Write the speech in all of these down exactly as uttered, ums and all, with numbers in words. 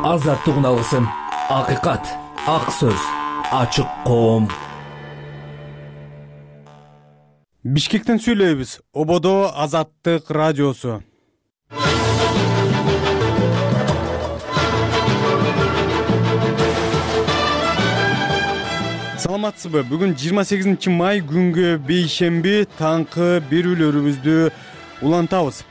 Азаттык алгысым, акыйкат, ак сөз, ачык коом. Бишкектен сүйлөйбүз. Ободо Азаттык радиосу. Саламатсызбы? Бүгүн жыйырма сегизинчи май күнгө бейшемби таңкы берүүлөрүбүздү улантабыз.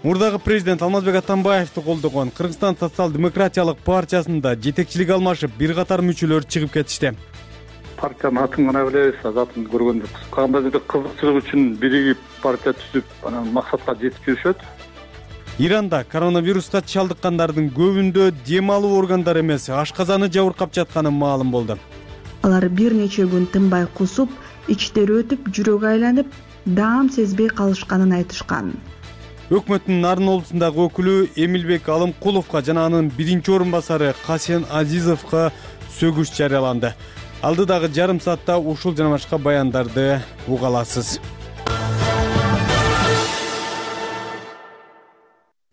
Мурдагы президент Алмазбек Атамбаевди колдогон Кыргызстан социал-демократиялык партиясында жетекчилик алмашып, бир катар мүчөлөр чыгып кетишти. Партиянын атын гана билебиз, затын көргөндүк. Кандайдыр кызыкчылык үчүн биригип партия түзүп, анан максатка жетип жүрүшөт. Иранда коронавируска чалдыккандардын көбүндө дем алуу органдары эмес, ашказаны жабыркап жатканы маалым болду. Алар бир нече күн тынбай кусуп, ичтери өтүп, жүрөгү айланып, даам сезбей калышканын айтышкан. Өкмөттүн Нарын облусундагы өкүлү Эмилбек Алымкуловго жана анын биринчи орун басары Касен Азизовго сөгүш жарыяланды. Алдыдагы жарым саатта ушул жана башка баяндарды уга аласыз.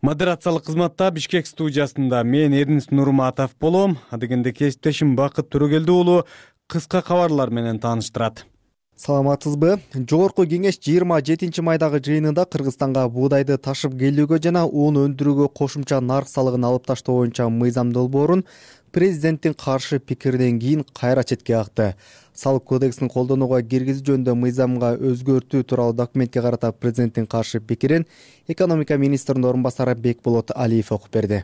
Модерациялык кызматта Бишкек студиясында мен Эрнис Нурматов болом. Адегенде кесиптешим Бакыт Төрөгелди уулу кыска кабарлар менен тааныштырат. Саламатсызбы? Жогорку кеңеш жыйырма жетинчи майдагы жыйынында Кыргызстанга буудайды ташып келүүгө жана ун өндүрүүгө кошумча нарк салыгын алып таштоо боюнча мыйзам долбоорун президенттин каршы пикиринен кийин кайра четке какты. Салык кодексин колдонууга киргизүү жөнүндө мыйзамга өзгөртүү тууралуу документке карата президенттин каршы пикирин экономика министринин орун басары Бекболот Алиев окуп берди.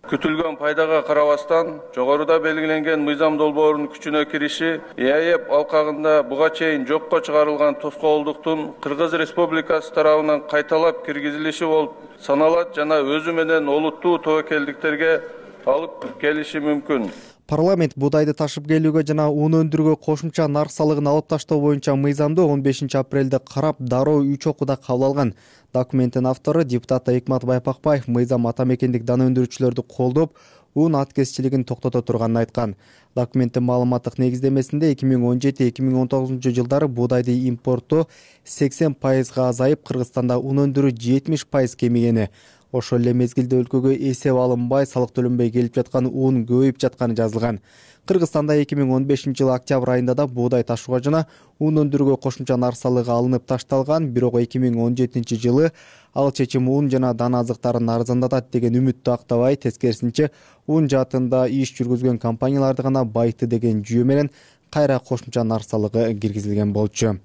Күтүлгөн пайдага карабастан, жогоруда белгиленген мыйзам долбоорунун күчүнө кириши ЭАЭП алкагында буга чейин жокко чыгарылган тоскоолдуктун Кыргыз Республикасы тарабынан кайталап киргизилиши болуп саналат жана өзү менен олуттуу тобокелдиктерге алып келиши мүмкүн. Парламент буудайды ташып келүүгө жана ун өндүрүүгө кошумча нарк салыгын алып таштоо боюнча мыйзамды он бешинчи апрелде карап, дароо үч окууда кабыл алган. Документтин автору депутат Экмат Байпакбаев мыйзам ата мекендик дана өндүрүүчүлөрдү колдоп, ун аткезчилигин токтото турганын айткан. Документтин маалыматтык негиздемесинде эки миң он жети эки миң он тогузунчу жылдары буудайды импорттоо сексен пайызга азайып, Кыргызстанда ун өндүрүү жетимиш пайыз кемигени, ошол эле мезгилде өлкөгө эсеп алынбай, салык төлөнбөй келип жаткан ун көбөйүп жатканы жазылган. Кыргызстанда эки миң он бешинчи жылы октябрь айында да буудай ташууга жана ун өндүрүүгө кошумча нарк салыгы алынып ташталган, бирок эки миң он жетинчи жылы ал чечим ун жана дана азыктарын арзандатат деген үмүттү актабай, тескерисинче ун жаатында иш жүргүзгөн компанияларды гана байытты деген жүйө менен кайра кошумча нарк салыгы киргизилген болчу.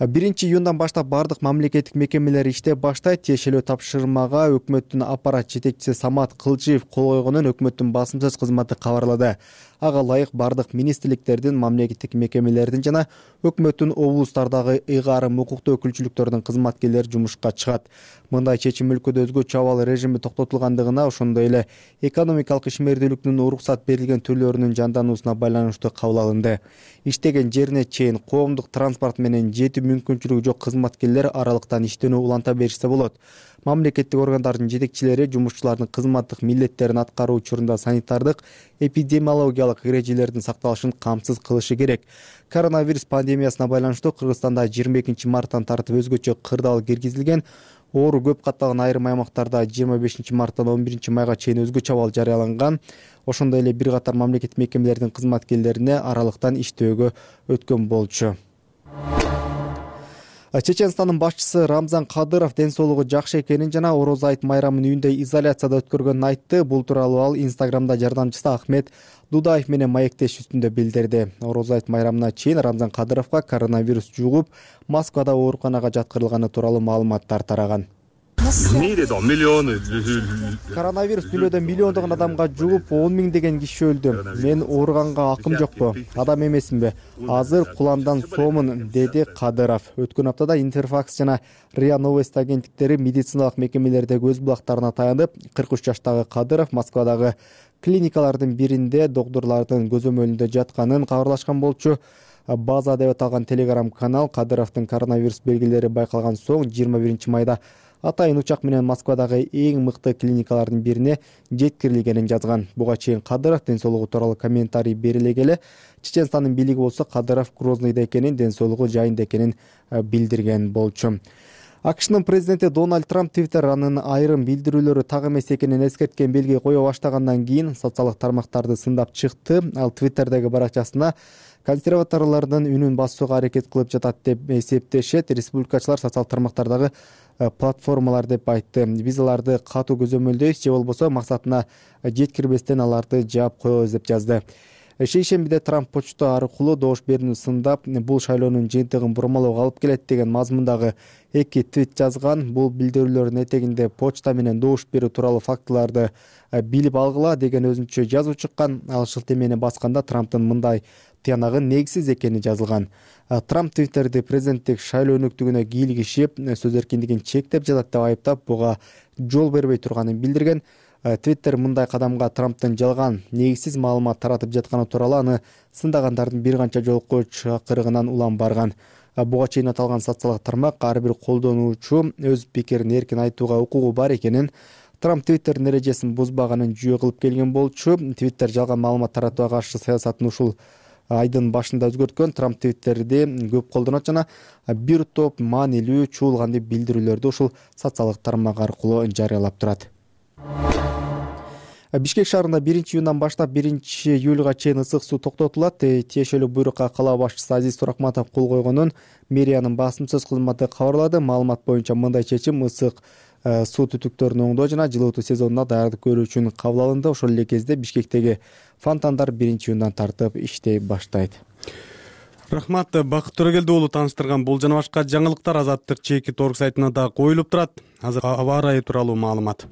биринчи июндан баштап бардык мамлекеттик мекемелер иштеп баштайт. Тиешелүү тапшырмага өкмөттүн аппарат жетекчиси Самат Кылчиев кол койгонун өкмөттүн басым сөз кызматы кабарлады. Ага ылайык бардык министрликтердин, мамлекеттик мекемелердин жана өкмөттүн облустардагы ыйгарым укуктуу өкүлчүлүктөрдүн кызматкерлери жумушка чыгат. Мындай чечим өлкөдө өзгөчө абал режими токтотулгандыгына, ошондой эле экономикалык ишмердүүлүктүн уруксат берилген түрлөрүнүн жандануусуна байланыштуу кабыл алынды. Иштеген жерине чейин коомдук транспорт менен жетүү мүмкүнчүлүгү жок кызматкерлер аралыктан иштөөнү уланта беришсе болот. Мамлекеттик органдардын жетекчилери жумушчулардын кызматтык милдеттерин аткаруу учурунда санитардык, эпидемиологиялык эрежелердин сакталышын камсыз кылышы керек. Коронавирус пандемиясына байланыштуу Кыргызстанда жыйырма экинчи марттан тартып өзгөчө кырдаал киргизилген. Оору көп катталган айрым аймактарда жыйырма бешинчи марттан он биринчи майга чейин өзгөчө абал жарыяланган. Ошондой эле бир катар мамлекеттик мекемелердин кызматкерлерине аралыктан иштөөгө өткөн болчу. Чеченстандын башчысы Рамзан Кадыров ден соолугу жакшы экенин жана Ороз айт майрамын үйүндө изоляцияда өткөргөнүн айтты. Бул тууралуу ал Инстаграмда жардамчысы Ахмет Дудаев менен маектеш үстүндө билдирди. Ороз айт майрамына чейин Рамзан Кадыровго коронавирус жугуп, Москвада ооруканага жаткырылганы тууралуу маалыматтар тараган. В мире да миллионы. Коронавирус дүйнөдө миллиондогон адамга жугуп, он миң деген киши өлдү. Мен ооруганга акым жокпу, адам эмесминби? Азыр куландан сомун, деди Кадыров. Өткөн аптада Интерфакс жана РИА Новости агенттиктери медициналык мекемелердеги өз булактарына таянып, кырк үч жаштагы Кадыров Москвадагы клиникалардын биринде доктурлардын көзөмөлүндө жатканын кабарлашкан болчу. База деп аталган телеграм канал Кадыровдун коронавирус белгилери байкалган соң жыйырма биринчи майда атайын учак менен Москвадагы эң мыкты клиникалардын бирине жеткирилгенин жазган. Буга чейин Кадыров ден соолугу тууралуу комментарий бериле келе, Чеченстандын бийлиги болсо Кадыров Грозныйда экенин, ден соолугу жайында экенин билдирген болчу. АКШнын президенти Дональд Трамп Твиттер анын айрым билдирүүлөрү так эмес экенин эскерткен белги кое баштагандан кийин социалдык тармактарды сындап чыкты. Ал Твиттердеги баракчасына консерваторлордун үнүн басууга аракет кылып жатат деп эсептешет. Республикачылар социалдык тармактардагы платформалар деп айтты. Биз аларды катуу көзөмөлдөйбүз, же болбосо максатына жеткирбестен аларды жаап коебуз деп жазды. Шейшембиде Трамп почта аркылуу добуш берүүнү сындап, бул шайлоонун жыйынтыгын бурмалоого алып келет деген мазмундагы эки твит жазган. Бул билдирүүлөрдүн этегинде почта менен добуш берүү тууралуу фактыларды билип алгыла деген өзүнчө жазуу чыккан. Ал шылтемени басканда Трамптын мындай тыянагы негизсиз экени жазылган. Трамп Твиттерди президенттик шайлоо өнүктүгүнө кийлигишип, сөз эркиндигин чектеп жатат деп айыптап, буга жол бербей турганын билдирген. Твиттер мындай кадамга Трамптын жалган, негизсиз маалымат таратып жатканы тууралуу аны сындагандардын бир канча жолку чакырыгынан улам барган. Буга чейин аталган социалдык тармак ар бир колдонуучу өз пикирин эркин айтууга укугу бар экенин, Трамп Твиттердин эрежесин бузбаганын жүйө кылып келген болчу. Твиттер жалган маалымат таратууга каршы саясатын ушул айдын башында өзгөрткөн. Трамп Твиттерди көп колдонот жана бир топ маанилүү чуулган деп билдирүүлөрдү ушул социалдык тармак аркылуу жарыялап турат. Бишкек шаарында биринчи июндан баштап биринчи июлга чейин ысык суу токтотулат. Тиешелүү буйрукка кала башчысы Азиз Туракматов кол койгонун мэриянын басым сөз кызматы кабарлады. Маалымат боюнча мындай чечим ысык суу түтүктөрүн оңдоо жана жылытуу сезонуна даярдык көрүү үчүн кабыл алынды. Ошол эле кезде Бишкектеги фонтандар биринчи июндан тартып иштей баштайт. Рахмат, Бакыт Төрөгелди уулу тааныштырган бул жана башка жаңылыктар Азаттык чеки торг сайтына да коюлуп турат. Азыр аба ырайы тууралуу маалымат.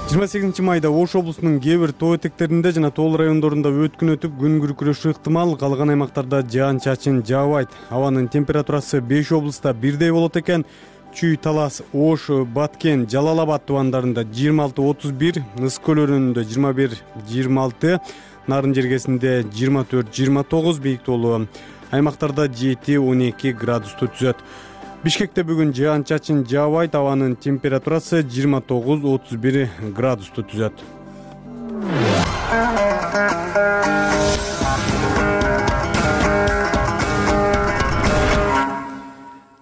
жыйырма сегизинчи майда Ош облусунун кээ бир тоо этектеринде жана тоол райондорунда өткүн өтүп күн күркүрөшү ыктымал. Калган аймактарда жаан чачын жаабайт. Абанын температурасы беш облуста бирдей болот экен. Чүй, Талас, Ош, Баткен, Жалал Абад тубандарында жыйырма алты отуз бир, Ыс көл өрөөнүндө жыйырма бир жыйырма алты, Нарын жергесинде жыйырма төрт жыйырма тогуз, бийиктүүлүгү аймактарда жети он эки градусту түзөт. Бишкекте бүгүн жаан чачын жаабайт. Абанын температурасы жыйырма тогуз отуз бир градусту түзөт.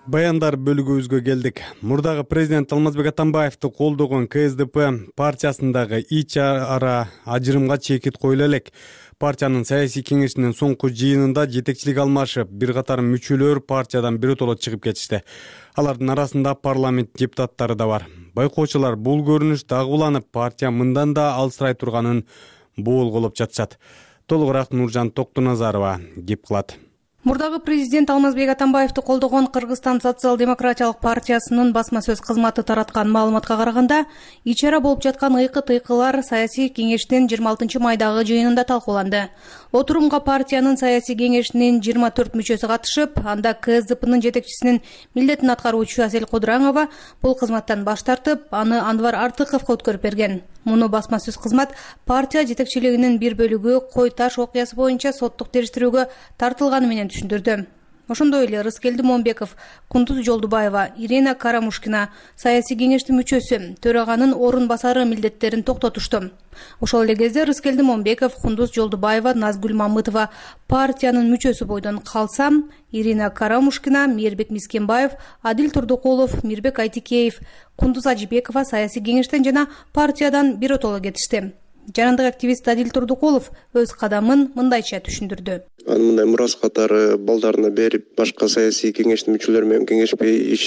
Баяндар бөлүгүбүзгө келдик. Мурдагы президент Алмазбек Атамбаевди колдогон К С Д П партиясындагы ич ара ажырымга чекит коюла элек. Партиянын саясий кеңешинин соңку жыйынында жетекчилик алмашып, бир катар мүчөлөр партиядан биротоло чыгып кетишти. Алардын арасында парламент депутаттары да бар. Байкоочулар бул көрүнүш дагы уланып, партия мындан да алсырай турганын боолголоп жатышат. Толугураак Нуржан Токтуназарова кеп кылат. Мурдагы президент Алмазбек Атамбаевди колдогон Кыргызстан социал-демократиялык партиясынын басма сөз кызматы тараткан маалыматка караганда, ичара болуп жаткан ыйкы-тыйкылар саясий кеңештин жыйырма алтынчы майдагы жыйынында талкууланды. Отурумга партиянын саясий кеңешинин жыйырма төрт мүчөсү катышып, анда К С Д П'нын жетекчисинин милдетин аткаруучу Асель Кудураңова бул кызматтан баш тартып, аны Анвар Артыковго өткөрүп берген. Муну басма сөз кызмат партия жетекчилигинин бир бөлүгү Кой Таш окуясы боюнча соттук териштирүүгө тартылганы менен түшүндүрдү. Ошондой эле Рыскелди Момбеков, Кундуз Жолдубаева, Ирина Карамушкина саясий кеңештин мүчөсү, төраганын орун басары милдеттерин токтотушту. Ошол эле кезде Рыскелди Момбеков, Кундуз Жолдубаева, Назгүл Мамытова партиянын мүчөсү бойдон калса, Ирина Карамушкина, Мээрбек Мискенбаев, Адил Турдукулов, Мирбек Айтикеев, Кундуз Ажибекова саясий кеңештен жана партиядан биротоло кетишти. Жарандык активист Адил Турдукулов өз кадамын мындайча түшүндүрдү. Аны мындай мурас катары балдарына берип, башка саясий кеңештин мүчөлөрү менен кеңешпей иш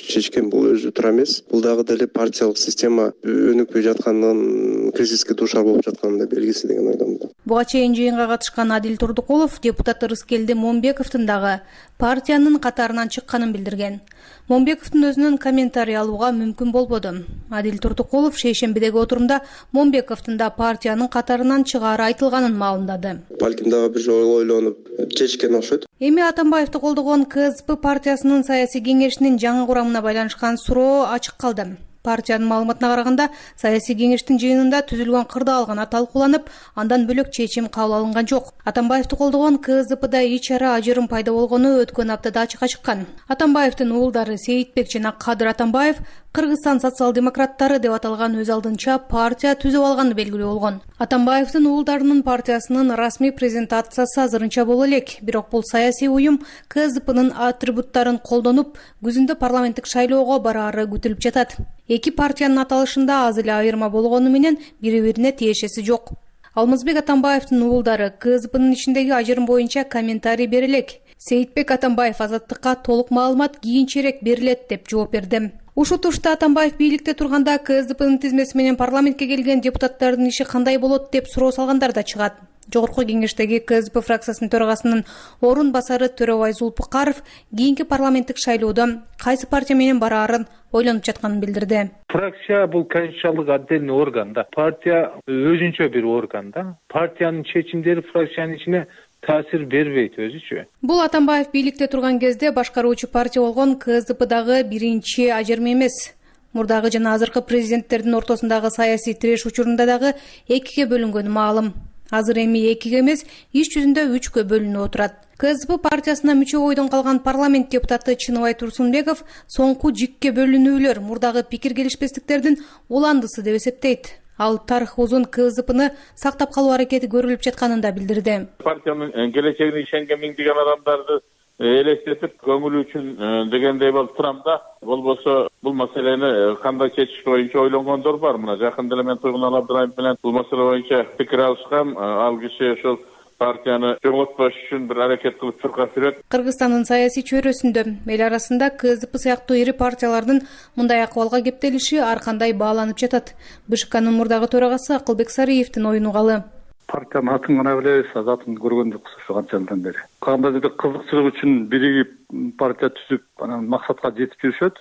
чечкен бул өзү туура эмес. Бул дагы деле партиялык система өнүкпөй жатканын, кризиске дуушар болуп жатканын белгиси деген ойдомун. Буга чейин жыйынга катышкан Адил Турдукулов депутат Рыскелди Момбековдун дагы партиянын катарынан чыкканын билдирген. Момбековдун өзүнөн комментарий алууга мүмкүн болбоду. Адил Турдукулов шейшембидеги отурумда Момбековдун да партиянын катарынан чыгаары айтылганын маалымдады. Балким дагы бир жолу ойлонуп чечкен окшойт. Эми Атамбаевди колдогон К С П партиясынын саясий кеңешинин жаңы курамына байланышкан суроо ачык калды. Партиянын маалыматына караганда, саясий кеңештин жыйынында түзүлгөн кырдаал гана талкууланып, андан бөлөк чечим кабыл алынган жок. Атамбаевди колдогон КСДПда ич ара ажырым пайда болгону өткөн аптада ачыкка чыккан. Атамбаевдин уулдары Сейитбек жана Кадыр Атамбаев Кыргызстан социал-демократтары деп аталган өз алдынча партия түзүп алганы белгилүү болгон. Атамбаевдин уулдарынын партиясынын расмий презентациясы азырынча боло элек, бирок бул саясий уюм КСДПнын атрибуттарын колдонуп, күзүндө парламенттик шайлоого бараары күтүлүп жатат. Эки партиянын аталышында аз эле айырма болгону менен бири-бирине тиешеси жок. Алмазбек Атамбаевдин уулдары КСДПнын ичиндеги ажырым боюнча комментарий бере элек. Сейитбек Атамбаев Азаттыкка толук маалымат кийинчерээк берилет деп жооп берди. Ушул турушта Атамбаев бийликте турганда КСДПнын тизмеси менен парламентке келген депутаттардын иши кандай болот деп суроо салгандар да чыгат. Жогорку кеңештеги КСДП фракциясынын төрагасынын орун басары Төрөбай Зулпукаров кийинки парламенттик шайлоодо кайсы партия менен бараарын ойлонуп жатканын билдирди. Фракция бул конституциялык отдельный орган да. Партия өзүнчө бир орган да. Партиянын чечимдери фракциянын ичине таасир бербейт өзүчө. Бул Атамбаев бийликте турган кезде башкаруучу партия болгон КСДПдагы биринчи ажырым эмес. Мурдагы жана азыркы президенттердин ортосундагы саясий тиреш учурунда дагы экиге бөлүнгөнү маалым. Азыр эми экиге эмес, иш жүзүндө үчкө бөлүнүп отурат. КСДП партиясына мүчө бойдон калган парламент депутаты Чыныбай Турсунбеков соңку жикке бөлүнүүлөр мурдагы пикир келишпестиктердин уландысы деп эсептейт. Ал тарых узун КСДПны сактап калуу аракети көрүлүп жатканын да билдирди. Партиянын келечегине ишенген миңдеген адамдарды элестетип көңүл үчүн дегендей болуп турам да. Болбосо бул маселени кандай чечиш боюнча ойлонгондор бар. Мына жакында эле мен Туйгунал Абдыраимов менен бул маселе боюнча пикир алышкам. Ал киши ошол партияны жоңотпош үчүн бир аракет кылып чуркап жүрөт. Кыргызстандын саясий чөйрөсүндө эл арасында КСДП сыяктуу ири партиялардын мындай акыбалга кептелиши ар кандай бааланып жатат. БШКнын мурдагы төрагасы Акылбек Сариевдин оюну калы. Партиянын атын гана билебиз, атын көргөн жокпуз ошо канча жылдан бери. Кандайдыр кызыкчылык үчүн биригип партия түзүп, анан максатка жетип жүрүшөт.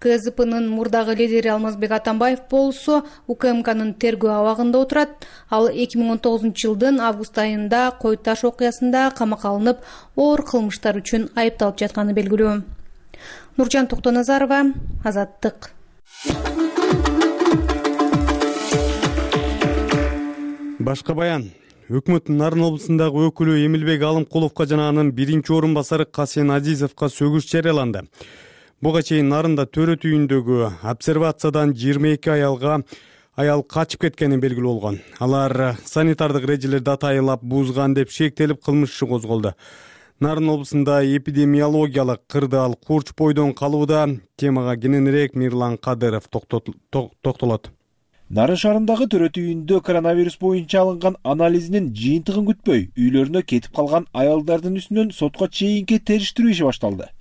КСДПнын мурдагы лидери Алмазбек Атамбаев болсо УКМКнын тергөө абагында отурат. Ал эки миң он тогузунчу жылдын август айында Кой Таш окуясында камакка алынып, оор кылмыштар үчүн айыпталып жатканы белгилүү. Нуржан Токтоназарова, Азаттык. Башка баян. Өкмөттүн Нарын облусундагы өкүлү Эмилбек Алымкуловго жана анын биринчи орун басары Касен Азизовго сөгүш жарыяланды. Буга чейин Нарында төрөт үйүндөгү обсервациядан жыйырма эки аялга аял качып кеткени белгилүү болгон. Алар санитардык эрежелерди атайылап бузган деп шектелип кылмыш иши козголду. Нарын облусунда эпидемиологиялык кырдаал курч бойдон калууда. Темага кененирээк Мирлан Кадыров токтолот. Нарын шаарындагы төрөт үйүндө коронавирус боюнча алынган анализинин жыйынтыгын күтпөй үйлөрүнө кетип калган аялдардын үстүнөн сотко чейинки териштирүү иши башталды.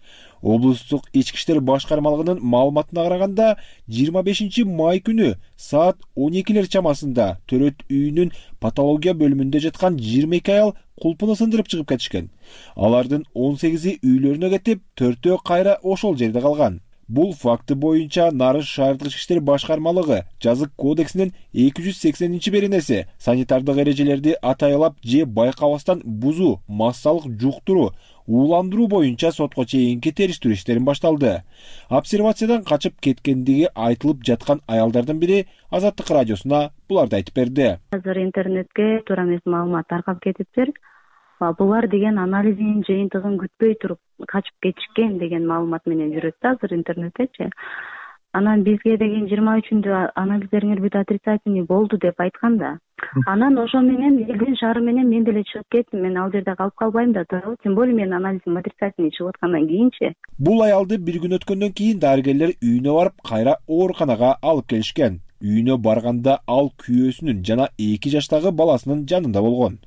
Облустук ички иштер башкармалыгынын маалыматына караганда, жыйырма бешинчи май күнү саат он экилер чамасында төрөт үйүнүн патология бөлүмүндө жаткан жыйырма эки аял кулпуну сындырып чыгып кетишкен. Алардын он сегизи үйлөрүнө кетип, төртөө кайра ошол жерде калган. Бул факты боюнча Нарын шаардык ички иштер башкармалыгы жазык кодексинин эки жүз сексенинчи беренеси санитардык эрежелерди атайылап же байкабастан бузуу, массалык жуктуруу, ууландыруу боюнча сотко чейинки териштирүү иштерин башталды. Обсервациядан качып кеткендиги айтылып жаткан аялдардын бири Азаттык радиосуна буларды айтып берди. Азыр интернетке туура эмес маалымат таркап кетиптир. Булар деген анализинин жыйынтыгын күтпөй туруп качып кетишкен деген маалымат менен жүрөт да азыр интернеттечи. Анан бизге деген жыйырма үчүндө анализдериңер бүт отрицательный болду деп айткан да. Анан ошо менен элдин шаары менен мен деле чыгып кеттим. Мен ал жерде калып калбайм да туурабы. Тем более менин анализим отрицательный чыгып аткандан кийинчи. Бул аялды бир күн өткөндөн кийин дарыгерлер үйүнө барып кайра ооруканага алып келишкен. Үйүнө барганда ал күйөөсүнүн жана эки жаштагы баласынын жанында болгон.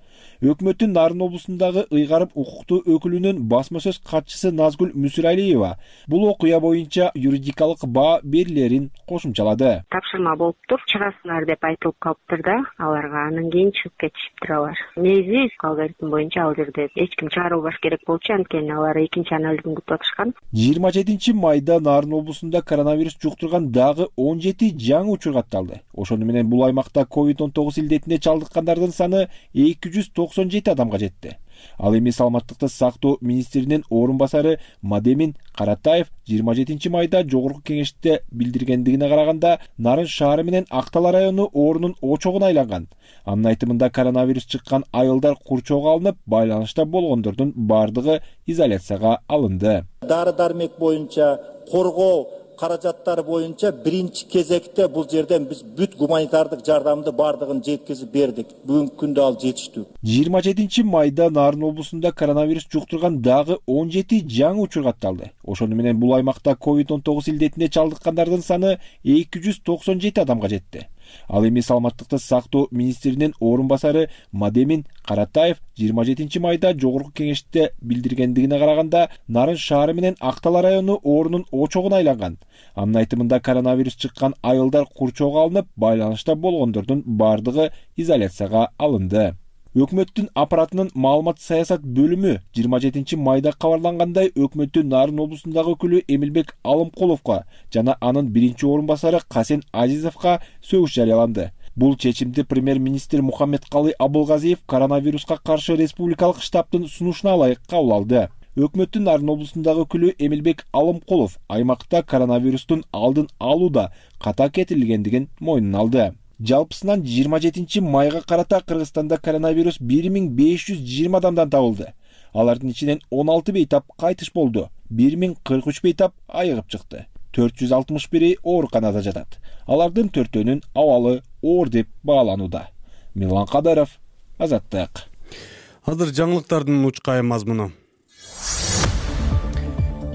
Өкмөттүн Нарын облусундагы ыйгарым укуктуу өкүлүнүн басма сөз катчысы Назгүл Мүсүралиева бул окуя боюнча юридикалык баа берилерин кошумчалады. Тапшырма болуптур, чыгасыңар деп айтылып калыптыр да, аларга анан кийин чыгып кетишиптир алар. Негизи алгоритм боюнча ал жерде эч ким чыгарылбаш керек болчу, анткени алар экинчи анализин күтүп атышкан. жыйырма жетинчи майда Нарын облусунда коронавирус жуктурган дагы он жети жаңы учур катталды. Ошону менен бул аймакта ковид он тогуз илдетине чалдыккандардын саны эки жүз токсон жети адамга жетти. Ал эми саламаттыкты сактоо министринин орун басары Мадемин Каратаев жыйырма жетинчи майда жогорку кеңеште билдиргендигине караганда, Нарын шаары менен Актала району оорунун очогуна айланган. Анын айтымында коронавирус чыккан айылдар курчоого алынып, байланышта болгондордун бардыгы изоляцияга алынды. Дары-дармек боюнча коргоо каражаттары боюнча биринчи кезекте бул жерден биз бүт гуманитардык жардамды бардыгын жеткизип бердик. Бүгүнкү күндө ал жетиштүү. жыйырма жетинчи майда Нарын облусунда коронавирус жуктурган дагы он жети жаңы учур катталды. Ошону менен бул аймакта ковид он тогуз илдетине чалдыккандардын саны эки жүз токсон жети адамга жетти. Ал эми саламаттыкты сактоо министринин орун басары Мадемин Каратаев жыйырма жетинчи майда жогорку кеңеште билдиргендигине караганда, Нарын шаары менен Актала району оорунун очогуна айланган. Анын айтымында коронавирус чыккан айылдар курчоого алынып, байланышта болгондордун бардыгы изоляцияга алынды. Өкмөттүн аппаратынын маалымат саясат бөлүмү жыйырма жетинчи майда кабарлангандай, өкмөттүн Нарын облусундагы өкүлү Эмилбек Алымкуловго жана анын биринчи орун басары Касен Азизовго сөгүш жарыяланды. Бул чечимди премьер-министр Мухаммедкалый Абылгазиев коронавируска каршы республикалык штабтын сунушуна ылайык кабыл алды. Өкмөттүн Нарын облусундагы өкүлү Эмилбек Алымкулов аймакта коронавирустун алдын алууда ката кетирилгендигин мойнуна алды. Жалпысынан жыйырма жетинчи майга карата Кыргызстанда коронавирус бир миң беш жүз жыйырма адамдан табылды. Алардын ичинен он алты бейтап кайтыш болду. бир миң кырк үч бейтап айыгып чыкты. төрт жүз алтымыш бири ооруканада жатат. Алардын төртөөнүн абалы оор деп бааланууда. Милан Кадаров, Азаттык. Азыр жаңылыктардын учкай мазмуну.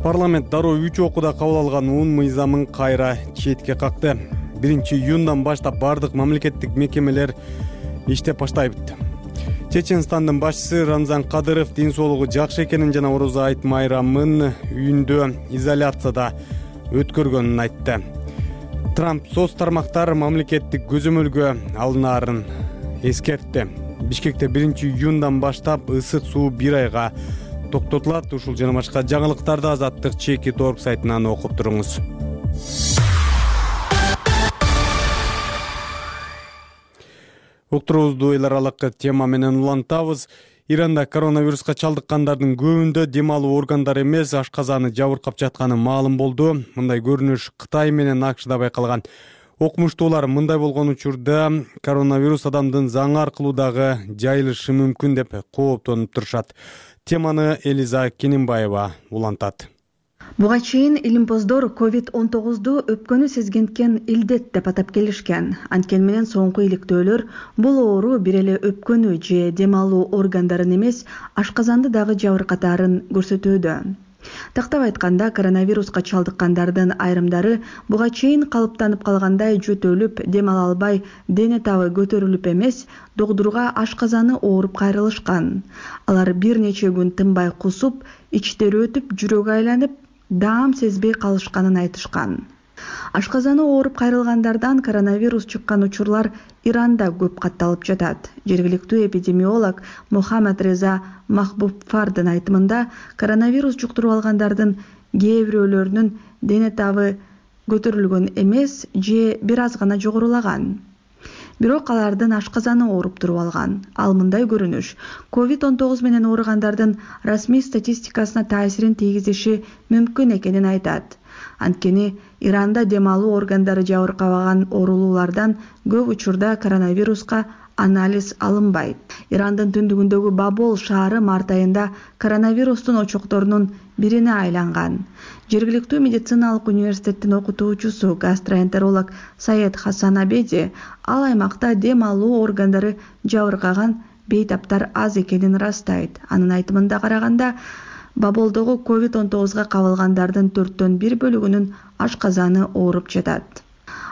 Парламент дароо үч окууда кабыл алган ун мыйзамын кайра четке какты. биринчи июндан баштап бардык мамлекеттик мекемелер иштеп баштайт. Чеченстандын башчысы Рамзан Кадыров ден соолугу жакшы экенин жана Орозо айт майрамын үйүндө изоляцияда өткөргөнүн айтты. Трамп соц тармактар мамлекеттик көзөмөлгө алынаарын эскертти. Бишкекте биринчи июндан баштап ысык суу бир айга токтотулат. Ушул жана башка жаңылыктарды Азаттык чеки торг сайтынан окуп туруңуз. Уктуруубузду эл аралык тема менен улантабыз. Иранда коронавируска чалдыккандардын көбүндө дем алуу органдары эмес, ашказаны жабыркап жатканы маалым болду. Мындай көрүнүш Кытай менен АКШда байкалган. Окумуштуулар мындай болгон учурда коронавирус адамдын заң аркылуу дагы жайылышы мүмкүн деп кооптонуп турушат. Теманы Элиза Кененбаева улантат. Буга чейин илимпоздор ковид он тогузду өпкөнү сезгенткен илдет деп атап келишкен. Анткени менен соңку иликтөөлөр бул оору бир эле өпкөнү же дем алуу органдарын эмес, ашказанды дагы жабыркатаарын көрсөтүүдө. Тактап айтканда, коронавируска чалдыккандардын айрымдары буга чейин калыптанып калгандай жөтөлүп, дем ала албай, дене табы көтөрүлүп эмес, догдурга ашказаны ооруп кайрылышкан. Алар бир нече күн тынбай кусуп, ичтери өтүп, жүрөгү айланып, даам сезбей калышканын айтышкан. Ашказаны ооруп кайрылгандардан коронавирус чыккан учурлар Иранда көп катталып жатат. Жергиликтүү эпидемиолог Мухаммад Реза Махбубфардын айтымында, коронавирус жуктуруп алгандардын кээ бирөөлөрүнүн дене табы көтөрүлгөн эмес же бир аз гана жогорулаган. Бирок алардын ашказаны ооруп туруп алган. Ал мындай көрүнүш ковид он тогуз менен ооругандардын расмий статистикасына таасирин тийгизиши мүмкүн экенин айтат. Анткени Иранда дем алуу органдары жабыркабаган оорулуулардан көп учурда коронавируска анализ алынбайт. Ирандын түндүгүндөгү Бабол шаары март айында коронавирустун очокторунун бирине айланган. Жергиликтүү медициналык университеттин окутуучусу гастроэнтеролог Саед Хасан Абеди ал аймакта дем алуу органдары жабыркаган бейтаптар аз экенин ырастайт. Анын айтымында караганда, Баболдогу ковид он тогузга кабылгандардын төрттөн бир бөлүгүнүн ашказаны ооруп жатат.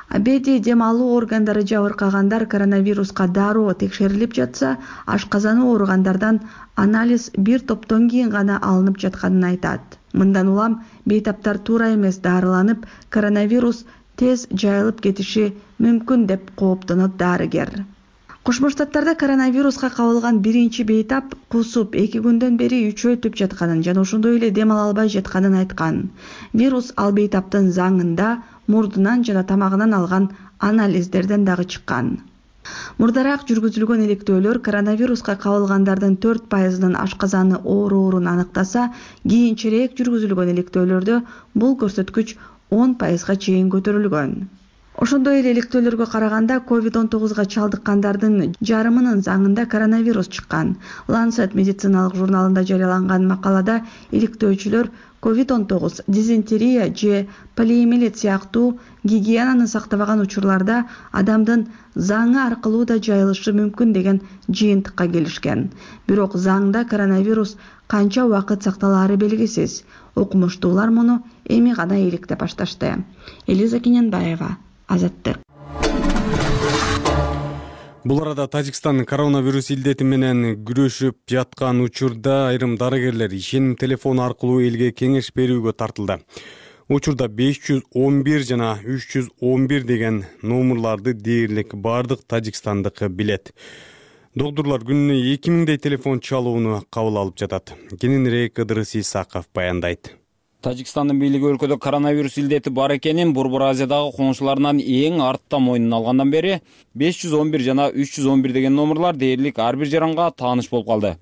Абеди дем алуу органдары жабыркагандар коронавируска дароо текшерилип жатса, ашказаны ооругандардан анализ бир топтон кийин гана алынып жатканын айтат. Мындан улам бейтаптар туура эмес дарыланып, коронавирус тез жайылып кетиши мүмкүн деп кооптонот дарыгер. Кошмо Штаттарда коронавируска кабылган биринчи бейтап кусуп эки күндөн бери үчөйтүп жатканын жана ошондой эле дем ала албай жатканын айткан. Вирус ал бейтаптын заңында, мурдунан жана тамагынан алган анализдерден дагы чыккан. Мурдараак жүргүзүлгөн иликтөөлөр коронавируска кабылгандардын төрт пайызынын ашказаны ооруурун аныктаса, кийинчерээк жүргүзүлгөн иликтөөлөрдө бул көрсөткүч он пайызга чейин көтөрүлгөн. Ошондой эле иликтөөлөргө караганда ковид он тогузга чалдыккандардын жарымынын заңында коронавирус чыккан. Lancet медициналык журналында жарыяланган макалада иликтөөчүлөр ковид он тогуз, дизентерия же полиэмилит сыяктуу гигиенаны сактабаган учурларда адамдын заңы аркылуу да жайылышы мүмкүн деген жыйынтыкка келишкен. Бирок заңда коронавирус канча убакыт сакталаары белгисиз. Окумуштуулар муну эми гана иликтеп башташты. Элиза Кененбаева, Азаттык. Бул арада Тажикстан коронавирус илдети менен күрөшүп жаткан учурда айрым дарыгерлер ишеним телефону аркылуу элге кеңеш берүүгө тартылды. Учурда беш жүз он бир жана үч жүз он бир деген номерларды дээрлик бардык тажикстандык билет. Доктурлар күнүнө эки миңдей телефон чалууну кабыл алып жатат. Кененирээк Ыдырыс Исаков баяндайт. Тажикстандын бийлиги өлкөдө коронавирус илдети бар экенин Борбор Азиядагы коңшуларынан эң артта мойнуна алгандан бери беш жүз он бир жана үч жүз он бир деген номерлар дээрлик ар бир жаранга тааныш болуп калды.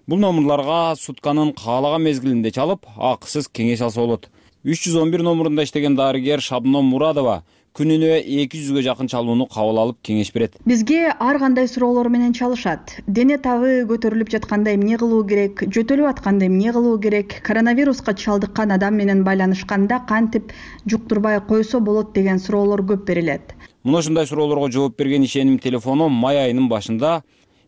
Бул номерларга сутканын каалаган мезгилинде чалып, акысыз кеңеш алса болот. үч жүз он бир номерунда иштеген дарыгер Шабном Мурадова күнүнө эки жүзгө жакын чалууну кабыл алып кеңеш берет. Бизге ар кандай суроолор менен чалышат. Дене табы көтөрүлүп жатканда эмне кылуу керек, жөтөлүп атканда эмне кылуу керек, коронавируска чалдыккан адам менен байланышканда кантип жуктурбай койсо болот деген суроолор көп берилет. Мына ушундай суроолорго жооп берген ишеним телефону май айынын башында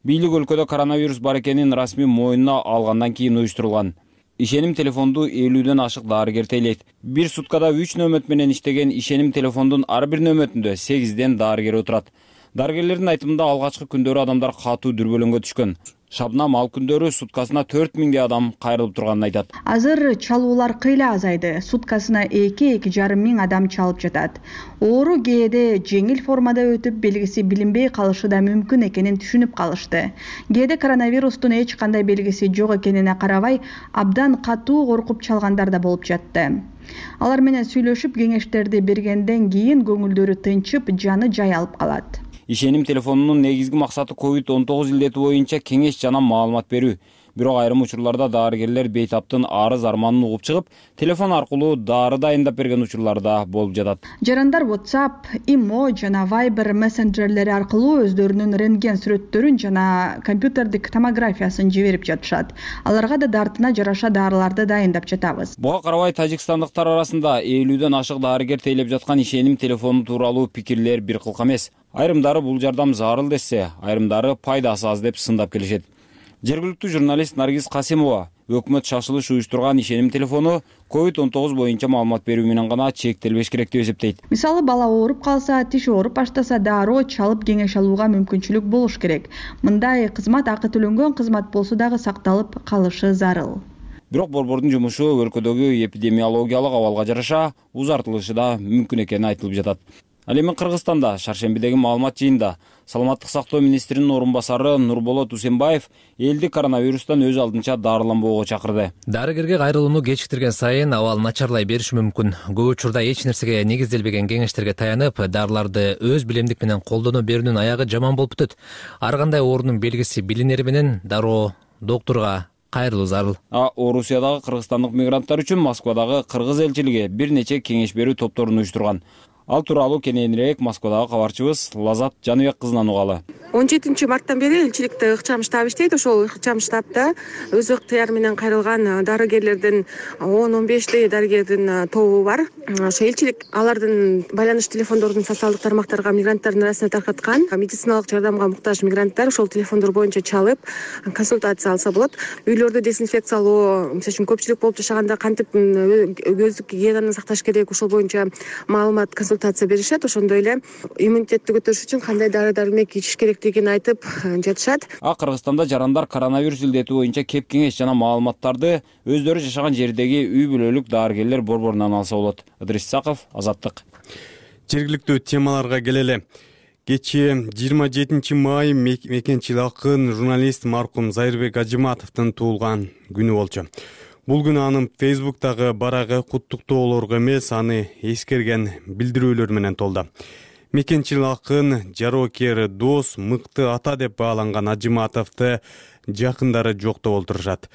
бийлик өлкөдө коронавирус бар экенин расмий мойнуна алгандан кийин уюштурулган. Ишеним телефонду элүүдөн ашык дарыгер тейлейт. Бир суткада үч нөмөт менен иштеген ишеним телефондун ар бир нөмөтүндө сегизден дарыгер отурат. Дарыгерлердин айтымында алгачкы күндөрү адамдар катуу дүрбөлөңгө түшкөн. Шабнам ал күндөрү суткасына төрт миңдей адам кайрылып турганын айтат. Азыр чалуулар кыйла азайды. Суткасына эки эки жарым миң адам чалып жатат. Оору кээде жеңил формада өтүп, белгиси билинбей калышы да мүмкүн экенин түшүнүп калышты. Кээде коронавирустун эч кандай белгиси жок экенине карабай, абдан катуу коркуп чалгандар да болуп жатты. Алар менен сүйлөшүп, кеңештерди бергенден кийин көңүлдөрү тынчып, жаны жай алып калат. Ишеним телефонунун негизги максаты ковид он тогуз илдети боюнча кеңеш жана маалымат берүү. Бирок айрым учурларда дарыгерлер бейтаптын арыз арманын угуп чыгып, телефон аркылуу дары дайындап берген учурлар да болуп жатат. Жарандар WhatsApp, Imo жана Viber мессенджерлери аркылуу өздөрүнүн рентген сүрөттөрүн жана компьютердик томографиясын жиберип жатышат. Аларга да дартына жараша дарыларды дайындап жатабыз. Буга карабай тажикстандыктар арасында элүүдөн ашык дарыгер тейлеп жаткан ишеним телефону тууралуу пикирлер бир кылка эмес. Айрымдары бул жардам зарыл десе, айрымдары пайдасы аз деп сындап келишет. Жергиликтүү журналист Наргиз Касимова өкмөт шашылыш уюштурган ишеним телефону ковид он тогуз боюнча маалымат берүү менен гана чектелбеш керек деп эсептейт. Мисалы, бала ооруп калса, тиш ооруп баштаса, дароо чалып кеңеш алууга мүмкүнчүлүк болуш керек. Мындай кызмат акы төлөнгөн кызмат болсо дагы сакталып калышы зарыл. Бирок борбордун жумушу өлкөдөгү эпидемиологиялык абалга жараша узартылышы да мүмкүн экени айтылып жатат. Ал эми Кыргызстанда шаршембидеги маалымат жыйынында саламаттык сактоо министринин орун басары Нурболот Усенбаев элди коронавирустан өз алдынча дарыланбоого чакырды. Дарыгерге кайрылууну кечиктирген сайын абал начарлай бериши мүмкүн. Көп учурда эч нерсеге негизделбеген кеңештерге таянып, дарыларды өз билемдик менен колдоно берүүнүн аягы жаман болуп өтөт. Ар кандай оорунун белгиси билинери менен дароо доктурга кайрылуу зарыл. А Орусиядагы кыргызстандык мигранттар үчүн Москвадагы кыргыз элчилиги бир нече кеңеш берүү топторун уюштурган. Ал тууралуу кененирээк Москвадагы кабарчыбыз Лазат Жаныбек кызынан угалы. он жетинчи марттан бери элчиликте ыкчам штаб иштейт. Ошол ыкчам штабта өз ыктыяры менен кайрылган дарыгерлердин он он бештей дарыгердин тобу бар. Ошо элчилик алардын байланыш телефондорун социалдык тармактарга мигранттардын арасына таркаткан. Медициналык жардамга муктаж мигранттар ошол телефондор боюнча чалып консультация алса болот. Үйлөрдө дезинфекциялоо, мисалы үчүн көпчүлүк болуп жашаганда кантип өздүк гигиенаны сакташ керек, ошол боюнча маалымат консультация беришет. Ошондой эле иммунитетти көтөрүш үчүн кандай дары дармек ичиш керектигин айтып жатышат. А Кыргызстанда жарандар коронавирус илдети боюнча кеп кеңеш жана маалыматтарды өздөрү жашаган жердеги үй бүлөлүк дарыгерлер борборунан алса болот. Ыдырыс Исаков, Азаттык. Жергиликтүү темаларга келели. Кечээ жыйырма жетинчи май мекенчил акын журналист маркум Зайырбек Ажыматовдун туулган күнү болчу. Бул күнү анын Facebook'тагы барагы куттуктоолорго эмес, аны эскерген билдирүүлөр менен толду. мекенчил акын, жароокер дос, мыкты ата деп бааланган Ажыматовду жакындары жоктоп олтурушат.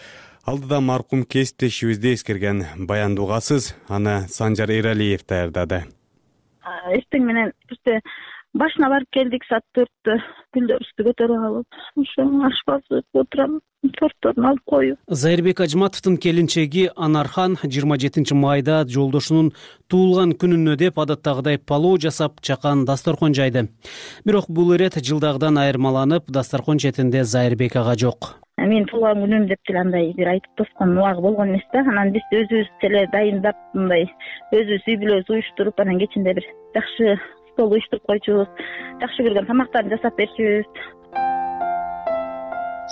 Алдыда маркум кесиптешибизди эскерген баянды угасыз, аны Санжар Эралиев даярдады. Эртең менен бизде башына барып келдик, саат төрттө гүлдөрүбүздү көтөрүп алып, ошо ашпазды отурам, тортторун алып коюп. Зайырбек Ажыматовдун келинчеги Анархан жыйырма жетинчи майда жолдошунун туулган күнүнө деп адаттагыдай палоо жасап, чакан дасторкон жайды. Бирок бул ирет жылдагыдан айырмаланып, дасторкон четинде Зайырбек ага жок. Мен туулган күнүм деп деле андай бир айтып тоскон убагы болгон эмес да. Анан биз өзүбүз деле дайындап, мындай өзүбүз үй бүлөбүз уюштуруп, анан кечинде бир жакшы стол уюштуруп койчубуз, жакшы көргөн тамактарды жасап берчүбүз.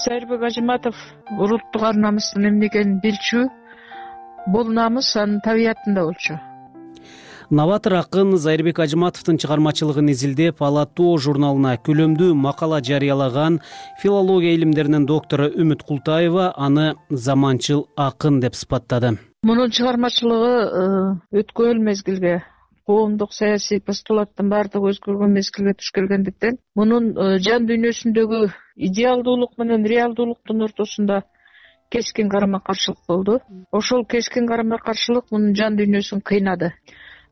Зайырбек Ажыматов улуттук ар намыстын эмне экенин билчү, бул намыс анын табиятында болчу. Новатор акын Зайырбек Ажыматовдун чыгармачылыгын изилдеп, Ала тоо журналына күлөмдүү макала жарыялаган филология илимдеринин доктору Үмүт Култаева аны заманчыл акын деп сыпаттады. Мунун чыгармачылыгы өткөн мезгилге, коомдук саясий постулаттын баардыгы өзгөргөн мезгилге туш келгендиктен, мунун жан дүйнөсүндөгү идеалдуулук менен реалдуулуктун ортосунда кескин карама-каршылык болду. Ошол кескин карама-каршылык мунун жан дүйнөсүн кыйнады.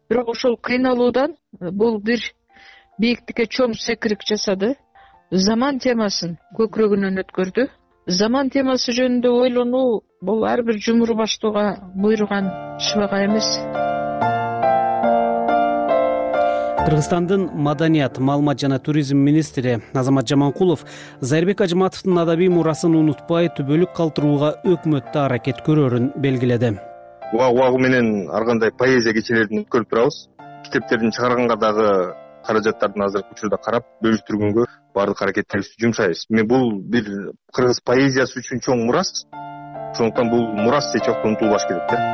Бирок ошол кыйналуудан бул бир бийиктикке чоң секирик жасады. Заман темасын көкүрөгүнөн өткөрдү. Заман темасы жөнүндө ойлонуу бул ар бир жумуру баштууга буйруган шыбага эмес. Кыргызстандын маданият, маалымат жана туризм министри Азамат Жаманкулов Зайырбек Ажыматовдун адабий мурасын унутпай, түбөлүк калтырууга өкмөттө аракет көрөрүн белгиледи. Убагы убагы менен ар кандай поэзия кечелерин өткөрүп турабыз. Китептердин чыгарганга дагы каражаттардын азыркы учурда карап, бөлүштүргөнгө баардык аракеттерибизди жумшайбыз. Мен бул бир кыргыз поэзиясы үчүн чоң мурас. Ошондуктан бул мурас эч убакта унутулбаш керек да.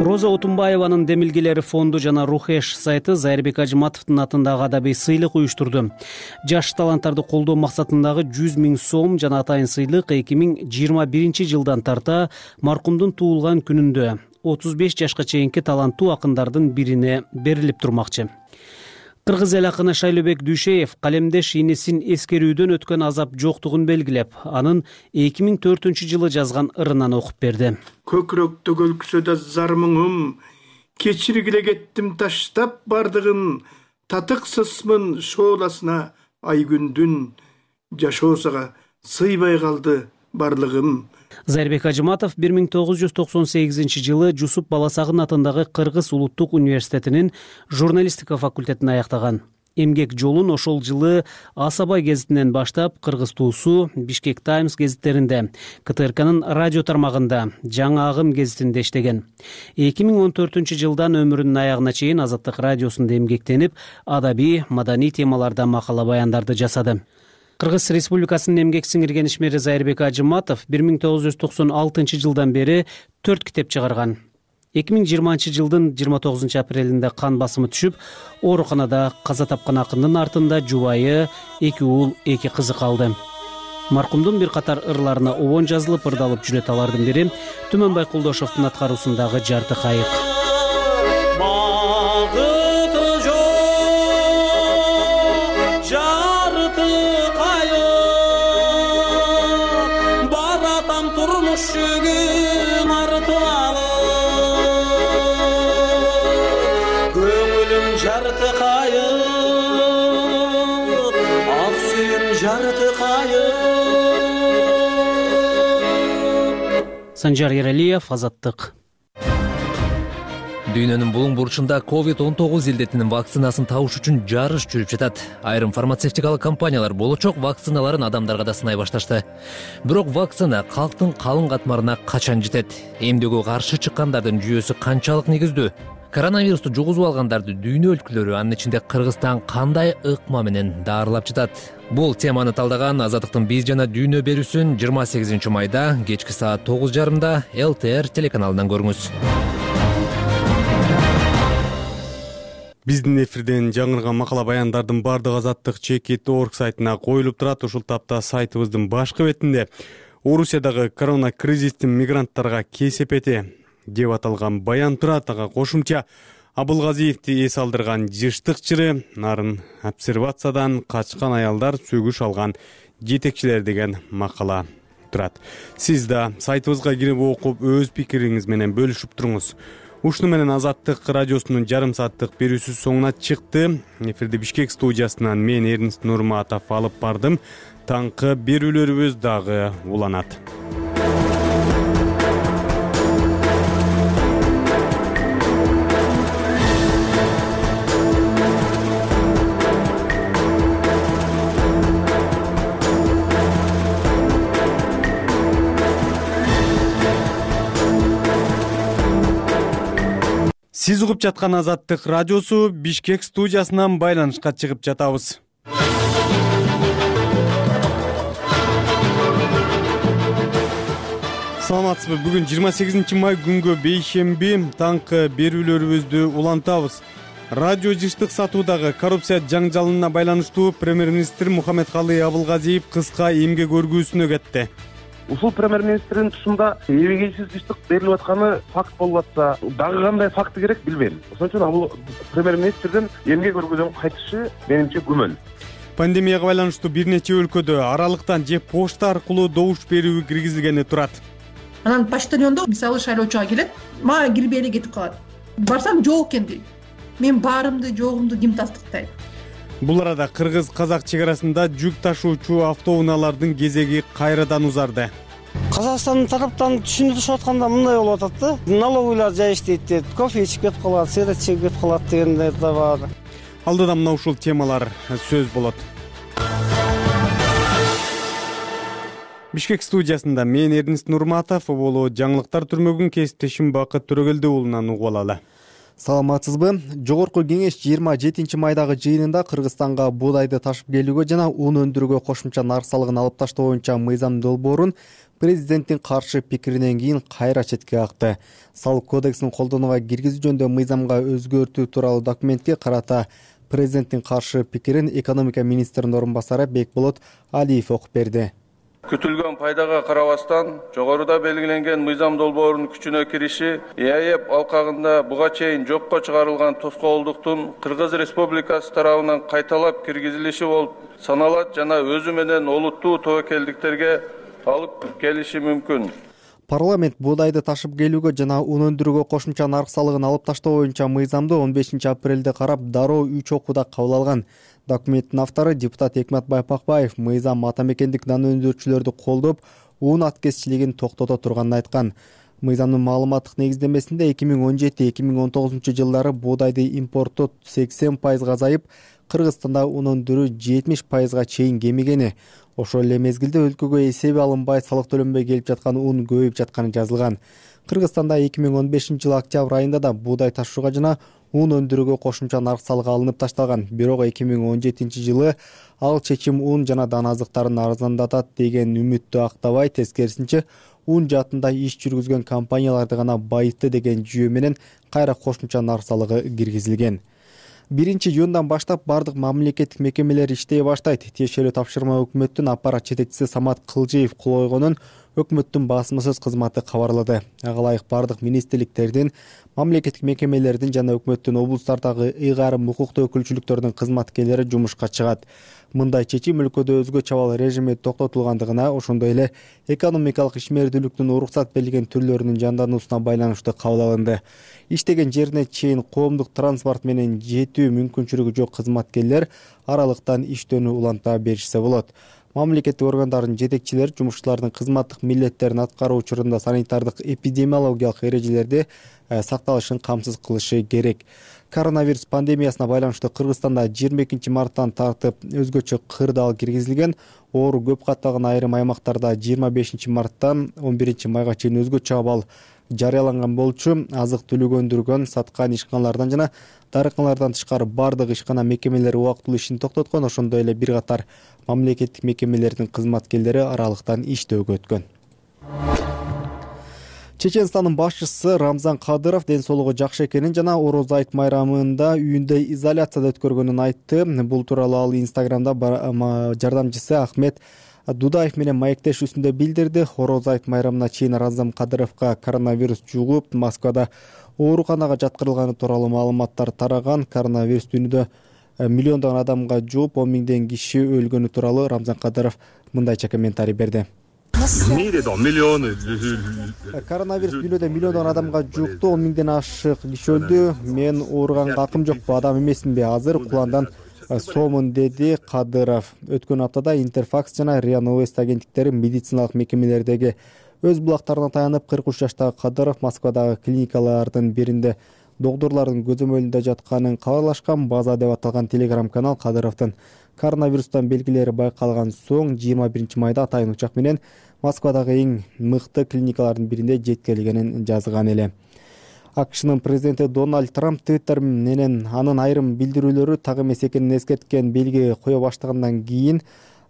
Роза Отунбаеванын демилгелери фонду жана Рухеш сайты Зайырбек Ажыматовдун атындагы адабий сыйлык уюштурду. Жаш таланттарды колдоо максатындагы жүз миң сом жана атайын сыйлык эки миң жыйырма биринчи жылдан тарта маркумдун туулган күнүндө отуз беш жашка чейинки таланттуу акындардын бирине берилип турмакчы. Кыргыз эл акыны Шайлообек Дүйшеев калемдеш инесин эскерүүдөн өткөн азап жоктугун белгилеп, анын эки миң төртүнчү жылы жазган ырынан окуп берди. Көкүрөктө көлкүсөдө зар мұңым, кечиргиле кеттим таштап бардыгын, татыксызмын шооласына ай күндүн, жашоосага сыйбай калды барлыгым. Зайырбек Ажыматов бир миң тогуз жүз токсон сегизинчи жылы Жусуп Баласагын атындагы Кыргыз улуттук университетинин журналистика факультетин аяктаган. Эмгек жолун ошол жылы Асабай гезитинен баштап Кыргыз туусу, Бишкек Таймс гезиттеринде, КТРКнын радио тармагында, Жаңы Агым гезитинде иштеген. эки миң он төртүнчү жылдан өмүрүнүн аягына чейин Азаттык радиосунда эмгектенип, адабий, маданий темаларда макала баяндарды жасады. Кыргыз Республикасынын эмгек сиңирген ишмери Зайырбек Ажыматов бир миң тогуз жүз токсон алтынчы жылдан бери төрт китеп чыгарган. эки миң жыйырманчы жылдын жыйырма тогузунчу апрелинде кан басымы түшүп, ооруканада каза тапкан акындын артында жубайы, эки уул, эки кызы калды. Маркумдун бир катар ырларына обон жазылып, ырдалып жүрөт. Алардын бири Түмөнбай Кулдошовдун аткаруусундагы Жарты кайык. Жарты кайык, ак сүйүм жарты кайык. Санжар Эралиев, Азаттык. Дүйнөнүн булуң бурчунда ковид он тогуз илдетинин вакцинасын табыш үчүн жарыш жүрүп жатат. Айрым фармацевтикалык компаниялар болочок вакциналарын адамдарга да сынай башташты. Бирок вакцина калктын калың катмарына качан жетет? Эмдөөгө каршы чыккандардын жүйөсү канчалык негиздүү? Коронавирусту жугузуп алгандарды дүйнө өлкөлөрү, анын ичинде Кыргызстан кандай ыкма менен даарылап жатат? Бул теманы талдаган Азаттыктын биз жана дүйнө берүүсүн жыйырма сегизинчи майда кечки саат тогуз жарымда эл тэ эр телеканалынан көрүңүз. Биздин эфирден жаңырган макала баяндардын бардыгы Азаттык чекит точка орг сайтына коюлуп турат. Ушул тапта сайтыбыздын башкы бетинде Орусиядагы корона кризистин мигранттарга кесепети деп аталган баян турат. Ага кошумча Абылгазиевди эс алдырган жыштык чыры, нарын обсервациядан качкан аялдар сөгүш алган жетекчилер деген макала турат. Сиз да сайтыбызга кирип окуп өз пикириңиз менен бөлүшүп туруңуз. Ушуну менен Азаттык радиосунун жарым сааттык берүүсү соңуна чыкты. Эфирди Бишкек студиясынан мен Эрнст Нурматов алып бардым. Таңкы берүүлөрүбүз дагы уланат. Сиз угуп жаткан Азаттык радиосу Бишкек студиясынан байланышка чыгып жатабыз. Саламатсызбы? Бүгүн жыйырма сегизинчи май күнгө бейшемби таңкы берүүлөрүбүздү улантабыз. Радио жыштык сатуудагы коррупция жаңжалына байланыштуу премьер-министр Мухаммедкалый Абылгазиев кыска эмгек өргүүсүнө кетти. Ушул премьер-министрдин тушунда эбегейсиз жыштык берилип атканы факт болуп атса, дагы кандай факты керек билбейм. Ошон үчүн бул премьер-министрдин эмгек өргүүдөн кайтышы менимче күмөн. Пандемияга байланыштуу бир нече өлкөдө аралыктан же почта аркылуу добуш берүү киргизилгени турат. Анан почтальондо мисалы шайлоочуга келет, мага кирбей эле кетип калат. Барсам жок экен дейт. Мен баарымды жогумду ким тастыктайт? Бул арада кыргыз-казак чек арасында жүк ташуучу автоунаалардын кезеги кайрадан узарды. Казакстандын тараптан түшүнүп түшүп атканда мындай болуп атат да. Налоговыйлар жай иштейт дейт, кофе ичип кетип калат, сигарет чегип кетип калат дегендер да бар. Алдыда мына ушул темалар сөз болот. Бишкек студиясында мен Эрнст Нурматов, боло жаңылыктар түрмөгүн кесиптешим Бакыт Төрөгелди уулунан угуп алалы. Саламатсызбы? Жогорку кеңеш жыйырма жетинчи майдагы жыйынында Кыргызстанга буудайды ташып келүүгө жана ун өндүрүүгө кошумча нарк салыгын алып таштоо боюнча мыйзам долбоорун президенттин каршы пикиринен кийин кайра четке какты. Салык кодексин колдонууга киргизүү жөнүндө мыйзамга өзгөртүү тууралуу документке карата президенттин каршы пикирин экономика министринин орун басары Бекболот Алиев окуп берди. Күтүлгөн пайдага карабастан жогоруда белгиленген мыйзам долбоорунун күчүнө кириши ЭАЭП алкагында буга чейин жокко чыгарылган тоскоолдуктун Кыргыз Республикасы тарабынан кайталап киргизилиши болуп саналат жана өзү менен олуттуу тобокелдиктерге алып келиши мүмкүн. Парламент буудайды ташып келүүгө жана ун өндүрүүгө кошумча нарк салыгын алып таштоо боюнча мыйзамды он бешинчи апрелде карап дароо үч окууда кабыл алган. Документтин автору депутат Экматбай Пакбаев мыйзам ата мекендик нан өндүрүүчүлөрдү колдоп, ун аткезчилигин токтото турганын айткан. Мыйзамдын маалыматтык негиздемесинде эки миң он жети эки миң он тогузунчу жылдары буудайды импорту сексен пайызга азайып, Кыргызстанда ун өндүрүү жетимиш пайызга чейин кемигени, ошол эле мезгилде өлкөгө эсеби алынбай салык төлөнбөй келип жаткан ун көбөйүп жатканы жазылган. Кыргызстанда эки миң он бешинчи жылы октябрь айында да буудай ташууга жана ун өндүрүүгө кошумча нарк салыгы алынып ташталган. Бирок эки миң он жетинчи жылы ал чечим ун жана дан азыктарын арзандатат деген үмүттү актабай, тескерисинче ун жаатында иш жүргүзгөн компанияларды гана байытты деген жүйө менен кайра кошумча нарк салыгы киргизилген. биринчи июндан баштап бардык мамлекеттик мекемелер иштей баштайт. Тиешелүү тапшырма өкмөттүн аппарат жетекчиси Самат Кылжиев кол койгонун өкмөттүн басмасөз кызматы кабарлады. Ага ылайык бардык министрликтердин, мамлекеттик мекемелердин жана өкмөттүн облустардагы ыйгарым укуктуу өкүлчүлүктөрдүн кызматкерлери жумушка чыгат. Мындай чечим өлкөдө өзгөчө абал режими токтотулгандыгына, ошондой эле экономикалык ишмердүүлүктүн уруксат берилген түрлөрүнүн жандануусуна байланыштуу кабыл алынды. Иштеген жерине чейин коомдук транспорт менен жетүү мүмкүнчүлүгү жок кызматкерлер аралыктан иштөөнү уланта беришсе болот. Мамлекеттик органдардын жетекчилери жумушчулардын кызматтык милдеттерин аткаруу учурунда санитардык эпидемиологиялык эрежелерди сакталышын камсыз кылышы керек. Коронавирус пандемиясына байланыштуу Кыргызстанда жыйырма экинчи марттан тартып өзгөчө кырдаал киргизилген. Оору көп катталган айрым аймактарда жыйырма бешинчи марттан он биринчи майга чейин өзгөчө абал жарыяланган болчу. Азык түлүк өндүргөн, саткан ишканалардан жана дарыканалардан тышкары бардык ишкана мекемелери убактылуу ишин токтоткон. Ошондой эле бир катар мамлекеттик мекемелердин кызматкерлери аралыктан иштөөгө өткөн. Чеченстандын башчысы Рамзан Кадыров ден соолугу жакшы экенин жана Ороз айт майрамында үйүндө изоляцияда өткөргөнүн айтты. Бул тууралуу ал Инстаграмда жардамчысы Ахмет Дудаев менен маектешүүсүндө билдирди. Ороз айт майрамына чейин Рамзан Кадыровго коронавирус жугуп, Москвада ооруканага жаткырылганы тууралуу маалыматтар тараган. Коронавирус дүйнөдө миллиондогон адамга жугуп, он миңден киши өлгөнү тууралуу Рамзан Кадыров мындайча комментарий берди. Коронавирус дүйнөдө миллиондогон адамга жукту, он миңден ашык киши өлдү. Мен ооруганга акым жокпу, адам эмесминби? Азыр куландан соомун, деди Кадыров. Өткөн аптада Интерфакс жана РИА Новости агенттиктери медициналык мекемелердеги өз булактарына таянып, кырк үч жаштагы Кадыров Москвадагы клиникалардын биринде доктурлардын көзөмөлүндө жатканын кабарлашкан. База деп аталган телеграм-канал Кадыровдун коронавирустан белгилери байкалган соң жыйырма биринчи майда атайын учак менен Москвадагы эң мыкты клиникалардын биринде жеткирилгенин жазган эле. АКШнын президенти Дональд Трамп Твиттер менен анын айрым билдирүүлөрү так эмес экенин эскерткен белги кое баштагандан кийин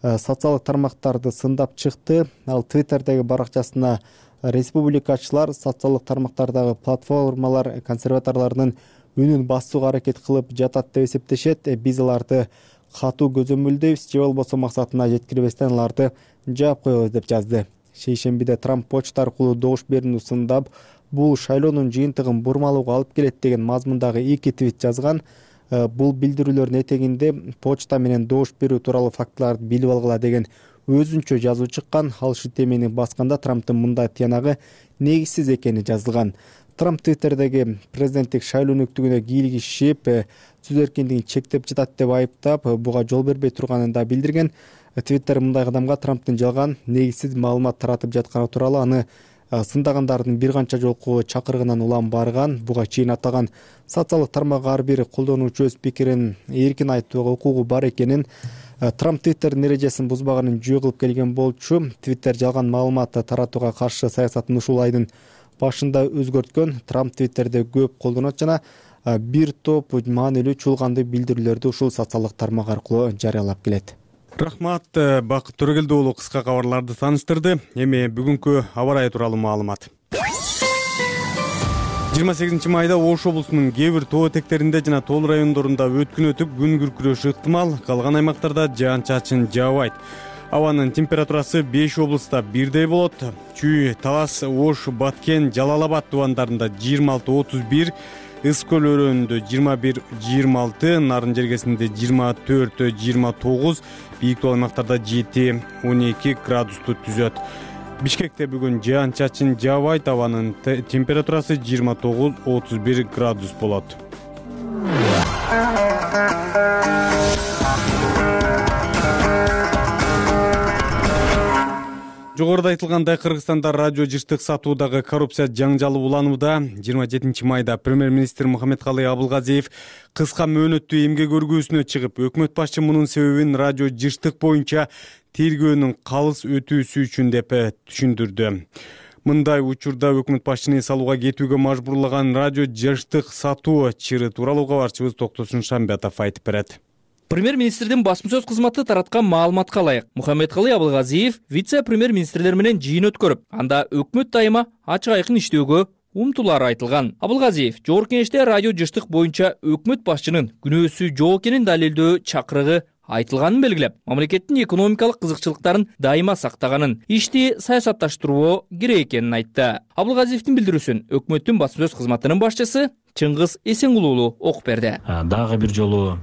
социалдык тармактарды сындап чыкты. Ал Твиттердеги баракчасына республикачылар социалдык тармактардагы платформалар консерваторлордун үнүн басууга аракет кылып жатат деп эсептешет. Биз аларды катуу көзөмөлдөйбүз, же болбосо максатына жеткирбестен аларды жаап коебуз деп жазды. Шейшембиде Трамп почта аркылуу добуш берүүнү сындап, бул шайлоонун жыйынтыгын бурмалууга алып келет деген мазмундагы эки твит жазган. Бул билдирүүлөрдүн этегинде почта менен добуш берүү тууралуу фактыларды билип алгыла деген өзүнчө жазуу чыккан. Ал ушул темени басканда Трамптын мындай тыянагы негизсиз экени жазылган. Трамп Твиттердеги президенттик шайлоо өнөктүгүнө кийлигишип, сөз эркиндигин чектеп жатат деп айыптап, буга жол бербей турганын да билдирген. Твиттер мындай кадамга Трамптын жалган, негизсиз маалымат таратып жатканы тууралуу аны сындагандардын бир канча жолку чакырыгынан улам барган. Буга чейин атаган социалдык тармак ар бир колдонуучу өз пикирин эркин айтууга укугу бар экенин, Трамп Твиттердин эрежесин бузбаганын жөө кылып келген болчу. Твиттер жалган маалымат таратууга каршы саясатын ушул айдын башында өзгөрткөн. Трамп Твиттерде көп колдонот жана бир топ маанилүү чуулгандуу билдирүүлөрдү ушул социалдык тармак аркылуу жарыялап келет. Рахмат, Бакыт Төрөгелди уулу кыска кабарларды тааныштырды. Эми бүгүнкү аба ырайы тууралуу маалымат. жыйырма сегизинчи майда Ош облусунун кээ бир тоо этектеринде жана тоол райондорунда өткүн өтүп, күн күркүрөшү ыктымал. Калган аймактарда жаан-чачын жаабайт. Абанын температурасы беш облуста бирдей болот. Чүй, Талас, Ош, Баткен, Жалал Абад тубандарында жыйырма алты отуз бир, Ыс көл өрөөнүндө жыйырма бир жыйырма алты, Нарын жергесинде жыйырма төрт жыйырма тогуз, бийик тоо аймактарда жети он эки градусту түзөт. Бишкекте бүгүн жаан-чачын жаабайт, абанын температурасы жыйырма тогуз отуз бир градус болот. Жогоруда айтылгандай, Кыргызстанда радио жыштык сатуудагы коррупция жаңжалы уланууда. жыйырма жетинчи майда премьер-министр Мухаммедкалый Абылгазиев кыска мөөнөттүү эмгек өргүүсүнө чыгып, өкмөт башчы мунун себебин радио жыштык боюнча тергөөнүн калыс өтүүсү үчүн деп түшүндүрдү. Мындай учурда өкмөт башчыны эс алууга кетүүгө мажбурлаган радио жыштык сатуу чыры тууралуу кабарчыбыз Токтосун Шамбетов айтып берет. Премьер-министрдин басма сөз кызматы тараткан маалыматка ылайык, Мухаммедкалый Абылгазиев вице-премьер-министрлер менен жыйын өткөрүп, анда өкмөт дайыма ачык айкын иштөөгө умтулары айтылган. Абылгазиев Жогорку Кеңеште радио жыштык боюнча өкмөт башчынын күнөөсү жок экенин далилдөө чакырыгы айтылганын белгилеп, мамлекеттин экономикалык кызыкчылыктарын дайыма сактаганын, ишти саясатташтыруу керек экенин айтты. Абылгазиевдин билдирүүсүн өкмөттүн басма сөз кызматынын башчысы Чыңгыз Эсенгулуулу окуп берди. Дагы бир жолу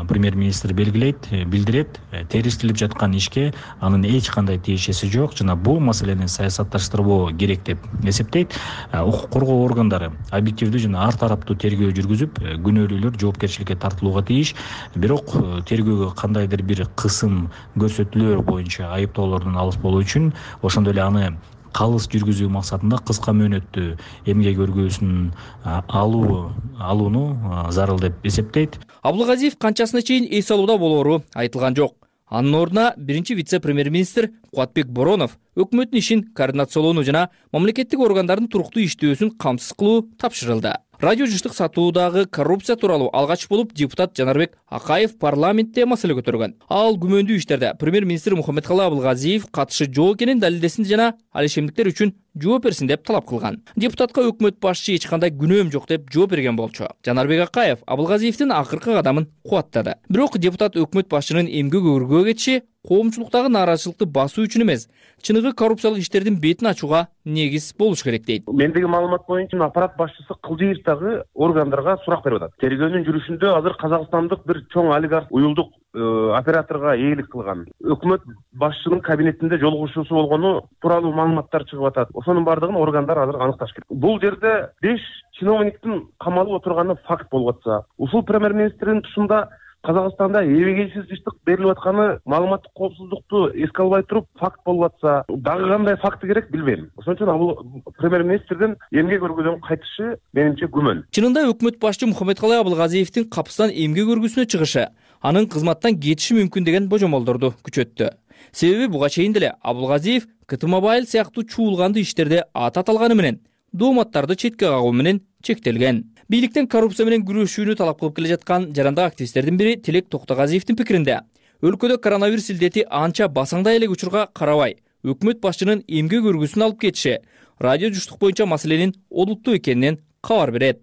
премьер-министр белгилейт, билдирет, териштирип жаткан ишке анын эч кандай тиешеси жок жана бул маселени саясатташтырбоо керек деп эсептейт. Укук коргоо органдары объективдүү жана ар тараптуу тергөө жүргүзүп, күнөөлүүлөр жоопкерчиликке тартылууга тийиш. Бирок тергөөгө кандайдыр бир кысым көрсөтүүлөр боюнча айыптоолордун алыс болуу үчүн ошондой эле аны калыс жүргүзүү максатында кыска мөөнөттүү эмгек өргүүсүн алуу алууну зарыл деп эсептейт. Абылгазиев канчасына чейин эс алууда болоору айтылган жок. Анын ордуна биринчи вице-премьер-министр Кубатбек Боронов өкмөттүн ишин координациялоону жана мамлекеттик органдардын туруктуу иштөөсүн камсыз кылуу тапшырылды. Радио жыштык сатуудагы коррупция тууралуу алгач болуп депутат Жанарбек Акаев парламентте маселе көтөргөн. Ал күмөндүү иштерде премьер-министр Мухаммедкалый Абылгазиев катышы жок экенин далилдесин жана ал ишемдиктер үчүн жооп берсин деп талап кылган. Депутатка өкмөт башчы эч кандай күнөөм жок деп жооп берген болчу. Жанарбек Акаев Абылгазиевдин акыркы кадамын кубаттады. Бирок депутат өкмөт башчынын эмгек өргүүгө кетиши коомчулуктагы нааразычылыкты басуу үчүн эмес, чыныгы коррупциялык иштердин бетин ачууга негиз болуш керек дейт. Мендеги маалымат боюнча аппарат башчысы Кылдыевдагы органдарга сурак берип атат. Тергөөнүн жүрүшүндө азыр казакстандык бир чоң олигарх уюлдук операторго ээлик кылган, өкмөт башчынын кабинетинде жолугушуусу болгону тууралуу маалыматтар чыгып атат. Ошонун бардыгын органдар азыр аныкташ керек. Бул жерде беш чиновниктин камалып отурганы факт болуп атса, ушул премьер-министрдин тушунда Казакстанда эбегейсиз жыштык берилип атканы маалыматтык коопсуздукту эске албай туруп факт болуп атса, дагы кандай факты керек билбейм. Ошон үчүн бул премьер-министрдин эмгек өргөдөн кайтышы менимче күмөн. Чынында өкмөт башчы Мухаммедкалый Абылгазиевдин капыстан эмгек өргүсүнө чыгышы анын кызматтан кетиши мүмкүн деген божомолдорду күчөттү. Себеби буга чейин деле Абылгазиев КТ Мобайл сыяктуу чуулганды иштерде ат аталганы менен дооматтарды четке кагуу менен чектелген. Бийликтен коррупция менен күрөшүүнү талап кылып келе жаткан жарандык активисттердин бири Тилек Токтогазиевдин пикиринде, өлкөдө коронавирус илдети анча басаңдай элек учурга карабай, өкмөт башчынын эмгек өргүсүн алып кетиши радио жуштук боюнча маселенин олуттуу экенинен кабар берет.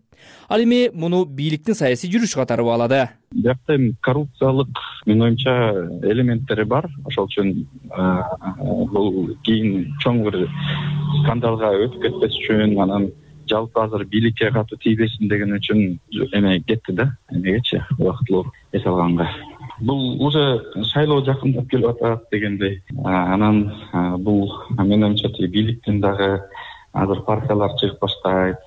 Ал эми муну бийликтин саясий жүрүш катары баалады. Биякта эми коррупциялык менин оюмча элементтери бар. Ошол үчүн бул кийин чоң бир скандалга өтүп кетпес үчүн, анан жалпы азыр бийликке катуу тийбесин деген үчүн эме кетти да, эмегечи убактылуу эс алганга. Бул уже шайлоо жакындап келип атат дегендей. Анан бул менин оюмча бийликтин дагы азыр партиялар чыгып баштайт.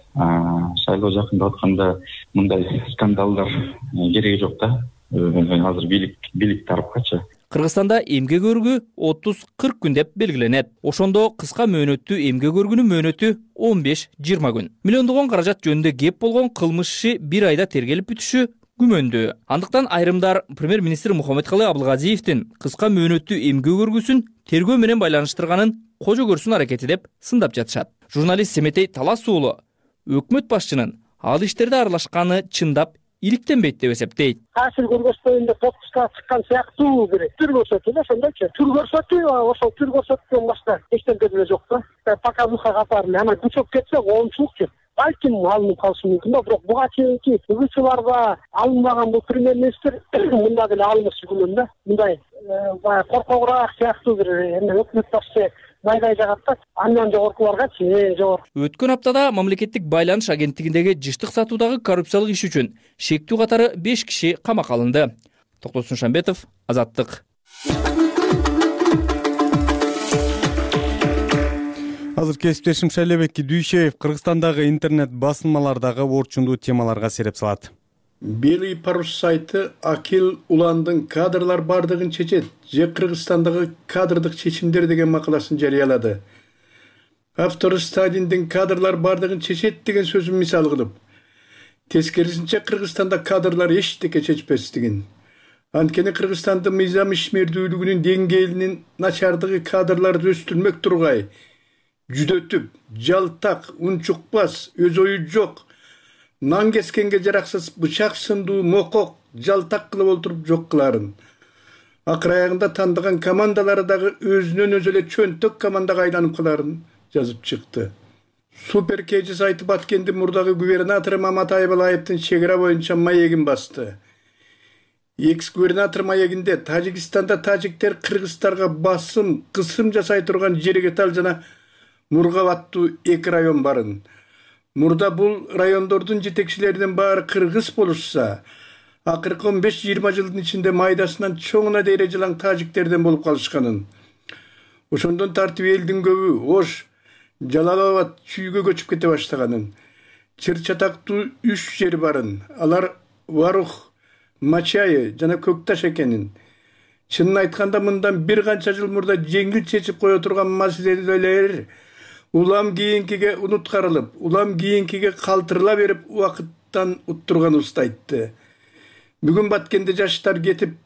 Шайлоо жакындап атканда мындай скандалдар кереги жок да. Азыр бийлик бийлик тарапкачы. Кыргызстанда эмгек өргүү отуз кырк күн деп белгиленет. Ошондо кыска мөөнөттүү эмгек өргүнүн мөөнөтү он беш жыйырма күн. Миллиондогон каражат жөнүндө кеп болгон кылмыш иши бир айда тергелип бүтүшү күмөндүү. Андыктан айрымдар премьер-министр Мухаммедкалый Абылгазиевдин кыска мөөнөттүү эмгек өргүсүн тергөө менен байланыштырганын кожо көрсүн аракети деп сындап жатышат. Журналист Семетей Талас уулу өкмөт башчынын ал иштерде аралашканы чындап иликтенбейт деп эсептейт. Таасир көргөзбөйүн деп отпускка чыккан сыяктуу бир түр көрсөтүү да, ошондойчу. Түр көрсөтүү, ошол түр көрсөткөн башка эчтеке деле жок да. Показуха катары эле, анан күчөп кетсе коомчулукчу. Балким алынып калышы мүмкүн да, бирок буга чейинки угучуларга алынбаган бул премьер-министр мында деле алынышы күнүн да. Мындай баягы коркогураак сыяктуу бир эме өкмөт башчы майдай жагат да, андан жогоркуларгачы жогору. Өткөн аптада мамлекеттик байланыш агенттигиндеги жыштык сатуудагы коррупциялык иш үчүн шектүү катары беш киши камакка алынды. Токтосун Шамбетов, Азаттык. Азыр кесиптешим Шайлебек Дүйшеев Кыргызстандагы интернет басылмалардагы орчундуу темаларга сереп салат. Белый парус сайты Акил Уландын кадрлар бардыгын чечет же Кыргызстандагы кадрдык чечимдер деген макаласын жарыялады. Автору Сталиндин кадрлар бардыгын чечет деген сөзүн мисал кылып, тескерисинче Кыргызстанда кадрлар эчтеке чечпестигин. Анткени Кыргызстандын мыйзам ишмердүүлүгүнүн деңгээлинин начардыгы кадрларды өстүрмөк тургай, жүдөтүп, жалтак, унчукпас, өз ою жок, нан кескенге жараксыз бычак сындуу мокок, жалтак кылып олтуруп жок кыларын. Акыр аягында тандаган командалары дагы өзүнөн өзү эле чөнтөк командага айланып каларын жазып чыкты. Супер Кежи сайты Баткендин мурдагы губернатору Маматай Балаевдин чегара боюнча маегин басты. Экс-губернатор маегинде Тажикстанда тажиктер кыргыздарга басым, кысым жасай турган Жерегетал жана Мургап аттуу эки район барын. Мурда бул райондордун жетекчилеринин баары кыргыз болушса, акыркы он беш жыйырма жылдын ичинде майдасынан чоңуна дейре жылаң тажиктерден болуп калышканын. Ошондон тартип элдин көбү Ош, Жалалабад чүйгө көчүп кете баштаганын. Чыр-чатактуу үч жер барын. Алар Варух, Мачайы жана Көкташ экенин. Чынын айтканда мындан бир канча жыл мурда жеңил чечип кое турган маселелер улам кийинкиге унуткарылып, улам кийинкиге калтырыла берип убакыттан уттурганыбызды айтты. Бүгүн Баткенде жаштар кетип,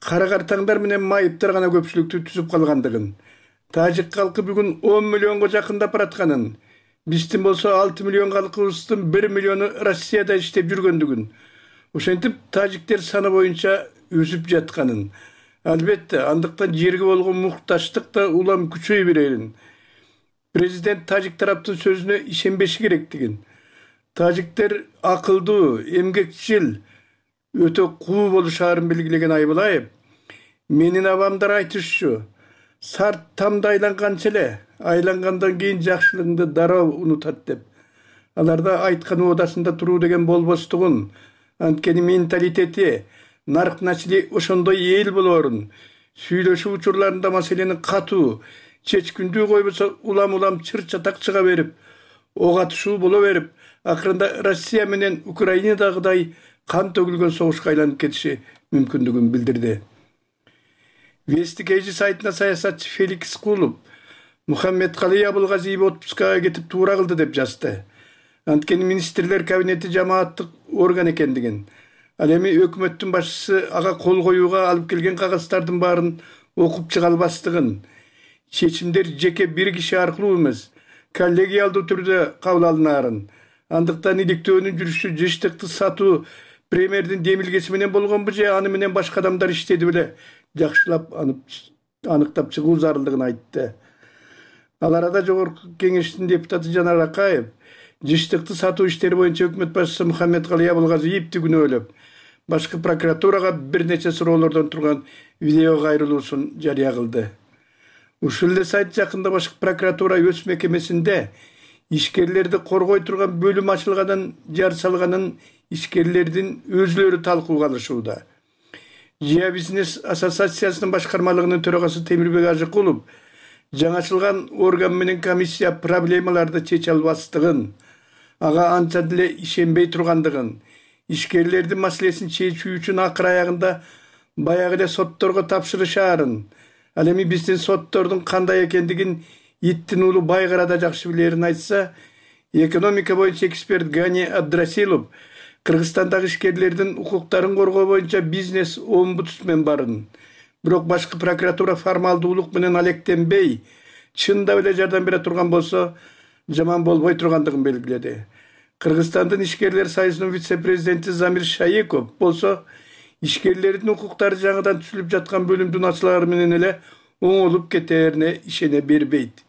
кара картаңдар менен майыптар гана көпчүлүктү түзүп калгандыгын, тажик калкы бүгүн он миллионго жакындап баратканын, биздин болсо алты миллион калкыбыздын бир миллиону Россияда иштеп жүргөндүгүн, ошентип тажиктер саны боюнча өсүп жатканын, албетте андыктан жерге болгон мукташтык да улам күчөй берерин. Президент тажик тараптын сөзүнө ишенбеши керектигин, тажиктер акылдуу, эмгекчил, өтө куу болушаарын белгилеген Айбалаев, Менин абамдар айтышчу, сарт тамда айланганча эле, айлангандан кийин жакшылыгыңды дароо унутат деп. Аларда айткан оодасында туруу деген болбостугун, анткени менталитети, нарк начили ошондой эл болоорун, сүйлөшүү учурларында маселени катуу, чечкиндүү койбосо улам-улам чыр-чатак чыга берип, ок атышуу боло берип, акырында Россия менен Украинадагыдай кан төгүлгөн согушка айланып кетиши мүмкүндүгүн билдирди. Вестик эжи сайтына саясатчы Феликс Кулов Мухаммедкалый Абылгазиев отпускага кетип туура кылды деп жазды. Анткени министрлер кабинети жамааттык орган экендигин, ал эми өкмөттүн башчысы ага кол коюуга алып келген кагаздардын баарын окуп чыга албастыгын, чечимдер жеке бир киши аркылуу эмес, коллегиалдуу түрдө кабыл алынаарын, андыктан иликтөөнүн жүрүшү жыштыкты сатуу премьердин демилгеси менен болгонбу же аны менен башка адамдар иштеди беле жакшылап аныктап чыгуу зарылдыгын айтты. Ал арада жогорку кеңештин депутаты Жанар Акаев жыштыкты сатуу иштери боюнча өкмөт башчысы Мухаммедкалый Абылгазиевди күнөөлөп, башкы прокуратурага бир нече суроолордон турган видео кайрылуусун жарыя кылды. Ушул эле сайт жакында башкы прокуратура өз мекемесинде ишкерлерди коргой турган бөлүм ачылганын, жар салганын ишкерлердин өзүлөрү талкууга алышууда. Жия бизнес ассоциациясынын башкармалыгынын төрагасы Темирбек Ажыкулов жаңачылган орган менен комиссия проблемаларды чече албастыгын, ага анча деле ишенбей тургандыгын, ишкерлердин маселесин чечүү үчүн акыр аягында баягы эле сотторго тапшырышаарын, ал эми биздин соттордун кандай экендигин иттин уулу байгара жакшы билерин айтса, экономика боюнча эксперт Гани Абдрасилов Кыргызстандагы ишкерлердин укуктарын коргоо боюнча бизнес омбудсмен барын, бирок башкы прокуратура формалдуулук менен алектенбей, чындап эле жардам бере турган болсо, жаман болбой тургандыгын белгиледи. Кыргызстандын ишкерлер союзунун вице-президенти Замир Шаеков болсо, ишкерлердин укуктары жаңыдан түзүлүп жаткан бөлүмдүн ачылары менен эле оңолуп кетерине ишене бербейт.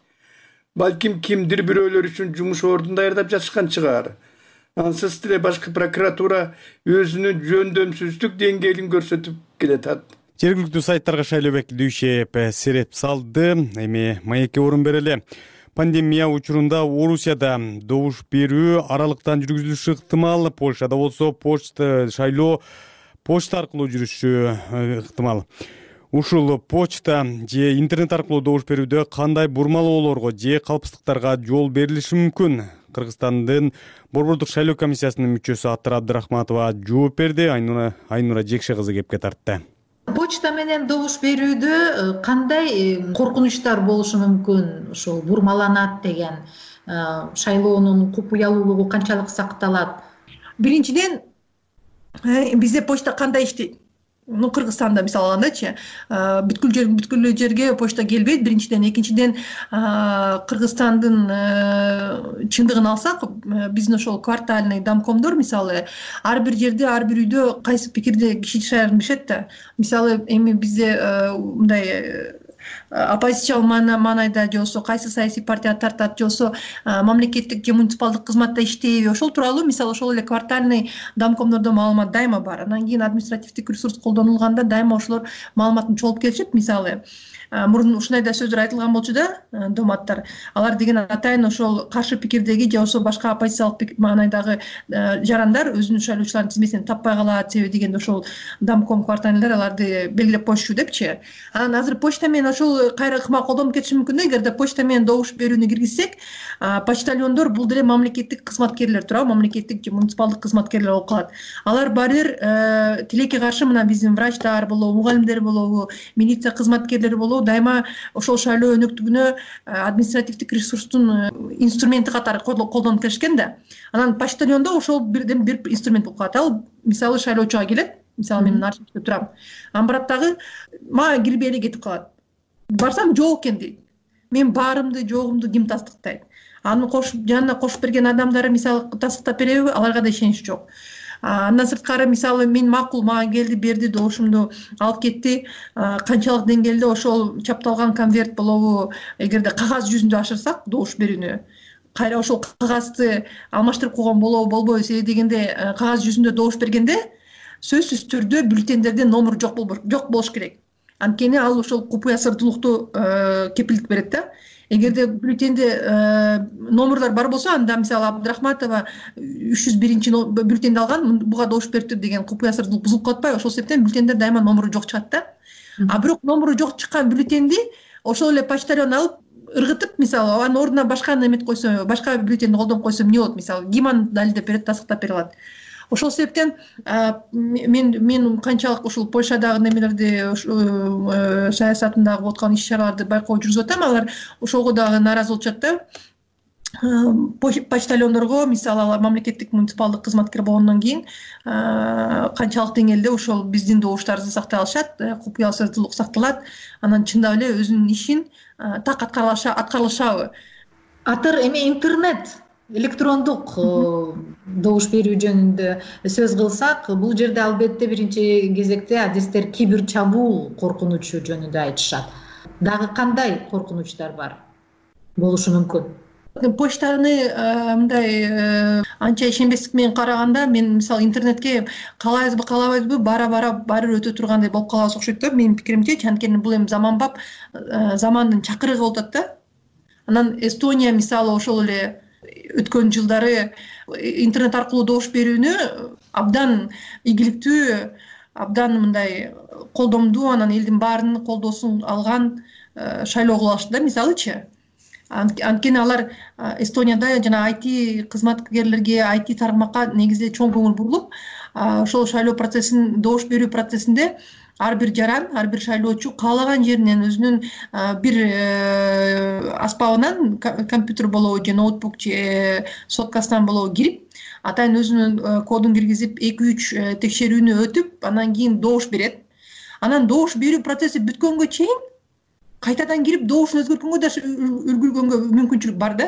Балким кимдир бирөөлөр үчүн жумуш ордун даярдап жатышкан чыгар. Ансыз деле башкы прокуратура өзүнүн жөндөмсүздүк деңгээлин көрсөтүп келатат. Жергиликтүү сайттарга Шайлообек Дүйшеев сереп салды. Эми маекке орун берели. Пандемия учурунда Орусияда добуш берүү аралыктан жүргүзүлүшү ыктымал. Польшада болсо почта шайлоо почта аркылуу жүрүшү ыктымал. Ушул почта же интернет аркылуу добуш берүүдө кандай бурмалоолорго же калпсыздыктарга жол берилиши мүмкүн? Кыргызстандын Борбордук шайлоо комиссиясынын мүчөсү Аттыр Абдрахматова жооп берди. Айнура Айнура Жекше кызы кепке тартты. Почта менен добуш берүүдө кандай коркунучтар болушу мүмкүн? Ошол бурмаланат деген шайлоонун купуялуулугу канчалык сакталат? Биринчиден, бизде почта кандай иштейт? Ну, Кыргызстанда мисалы алгандачы, бүткүл жер бүткүл жерге почта келбейт. Биринчиден, экинчиден, Кыргызстандын чындыгын алсак, биздин ошол квартальный домкомдор мисалы ар бир жерде, ар бир үйдө кайсы пикирде киши жашаарын билишет да. Мисалы эми бизде мындай оппозициялык маанайда же болбосо кайсы саясий партия тартат же болбосо мамлекеттик же муниципалдык кызматта иштейби, ошол тууралуу мисалы ошол эле квартальный домкомдордо маалымат дайыма бар. Анан кийин административдик ресурс колдонулганда дайыма ошолор маалыматын чогултуп келишет. Мисалы мурун ушундай да сөздөр айтылган болчу да, доматтар. Алар деген атайын ошол каршы пикирдеги же болбосо башка оппозициялык маанайдагы жарандар өзүнүн шайлоочулардын тизмесин таппай калат, себеби дегенде ошол домком квартальныйлар аларды белгилеп коюшчу депчи. Анан азыр почта менен ошол кайра ыкма колдонуп кетиши мүмкүн да. Эгерде почта менен добуш берүүнү киргизсек, почтальондор бул деле мамлекеттик кызматкерлер туурабы, мамлекеттик же муниципалдык кызматкерлер болуп калат. Алар баары бир тилекке каршы мына биздин врачтар болобу, мугалимдер болобу, милиция кызматкерлери болобу дайыма ошол шайлоо өнөктүгүнө административдик ресурстун инструменти катары колдонуп келишкен да. Анан почтальондо ошол бирден бир инструмент болуп калат. Ал мисалы шайлоочуга келет, мисалы мен архивде турам. Анан барат дагы мага кирбей эле кетип калат. Барсам жок экен дейт. Мен баарымды, жогумду ким тастыктайт? Аны кошуп жанына кошуп берген адамдары мисалы тастыктап береби? Аларга да ишенич жок. Андан сырткары мисалы мен макул мага келди, берди, добушумду алып кетти. Канчалык деңгээлде ошол чапталган конверт болобу, эгерде кагаз жүзүндө ашырсак добуш берүүнү, кайра ошол кагазды алмаштырып койгон болобу, болбойбу, себеби дегенде кагаз жүзүндө добуш бергенде сөзсүз түрдө бюллетендерде номер жок жок болуш керек. анткени ал ошол купуя сырдуулукту кепилдик берет да. Эгерде бюллетенде номерлор бар болсо, анда мисалы Абдрахматова үч жүз биринчи бюллетенди алган, буга добуш бериптир деген купуя сырдуулук бузулуп калат атпайбы? Ошол себептен бюллетенде дайыма номеру жок чыгат да. А бирок номеру жок чыккан бюллетенди ошол эле почтальон алып ыргытып, мисалы анын ордуна башканы эмет койсо, башка бюллетенди колдонуп койсо эмне болот? Мисалы ким аны далилдеп берет, тастыктап бере алат. Ошол себептен мен мен канчалык ушул Польшадагы немелерди, саясатындагы болуп аткан иш-чараларды байкоо жүргүзүп атам, алар ошого дагы нааразы болушат да. Почтальондорго, мисалы алар мамлекеттик муниципалдык кызматкер болгондон кийин канчалык деңгээлде ошол биздин добуштарыбызды сактай алышат, купуя сырдуулук сакталат, анан чындап эле өзүнүн ишин так аткарылышабы. Атыр эми интернет, электрондук добуш берүү жөнүндө сөз кылсак, бул жерде албетте биринчи кезекте адистер кибер чабуул коркунучу жөнүндө айтышат. Дагы кандай коркунучтар бар болушу мүмкүн? Почтаны мындай анча ишенбестик менен караганда, мен мисалы интернетке каалайбызбы каалабайбызбы бара-бара баары өтө тургандай болуп калабыз окшойт да, менин пикиримче. Анткени бул эми заманбап замандын чакырыгы болуп атат да. Анан Эстония мисалы ошол эле өткөн жылдары интернет аркылуу добуш берүүнү абдан ийгиликтүү, абдан мындай колдомдуу, анан элдин баарынын колдоосун алган шайлоо кылып алышты да, мисалычы. Анткени алар Эстонияда жана ай ти кызматкерлерге, ай ти тармакка негизде чоң көңүл бурулуп, ошол шайлоо процессин, добуш берүү процессинде ар бир жаран, ар бир шайлоочу каалаган жеринен өзүнүн бир аспабынан, компьютер болобу же ноутбук же соткасынан болобу кирип, атайын өзүнүн кодун киргизип, эки үч текшерүүнү өтүп, анан кийин добуш берет. Анан добуш берүү процесси бүткөнгө чейин кайтадан кирип добушун өзгөрткөнгө да үлгүргөнгө мүмкүнчүлүк бар да.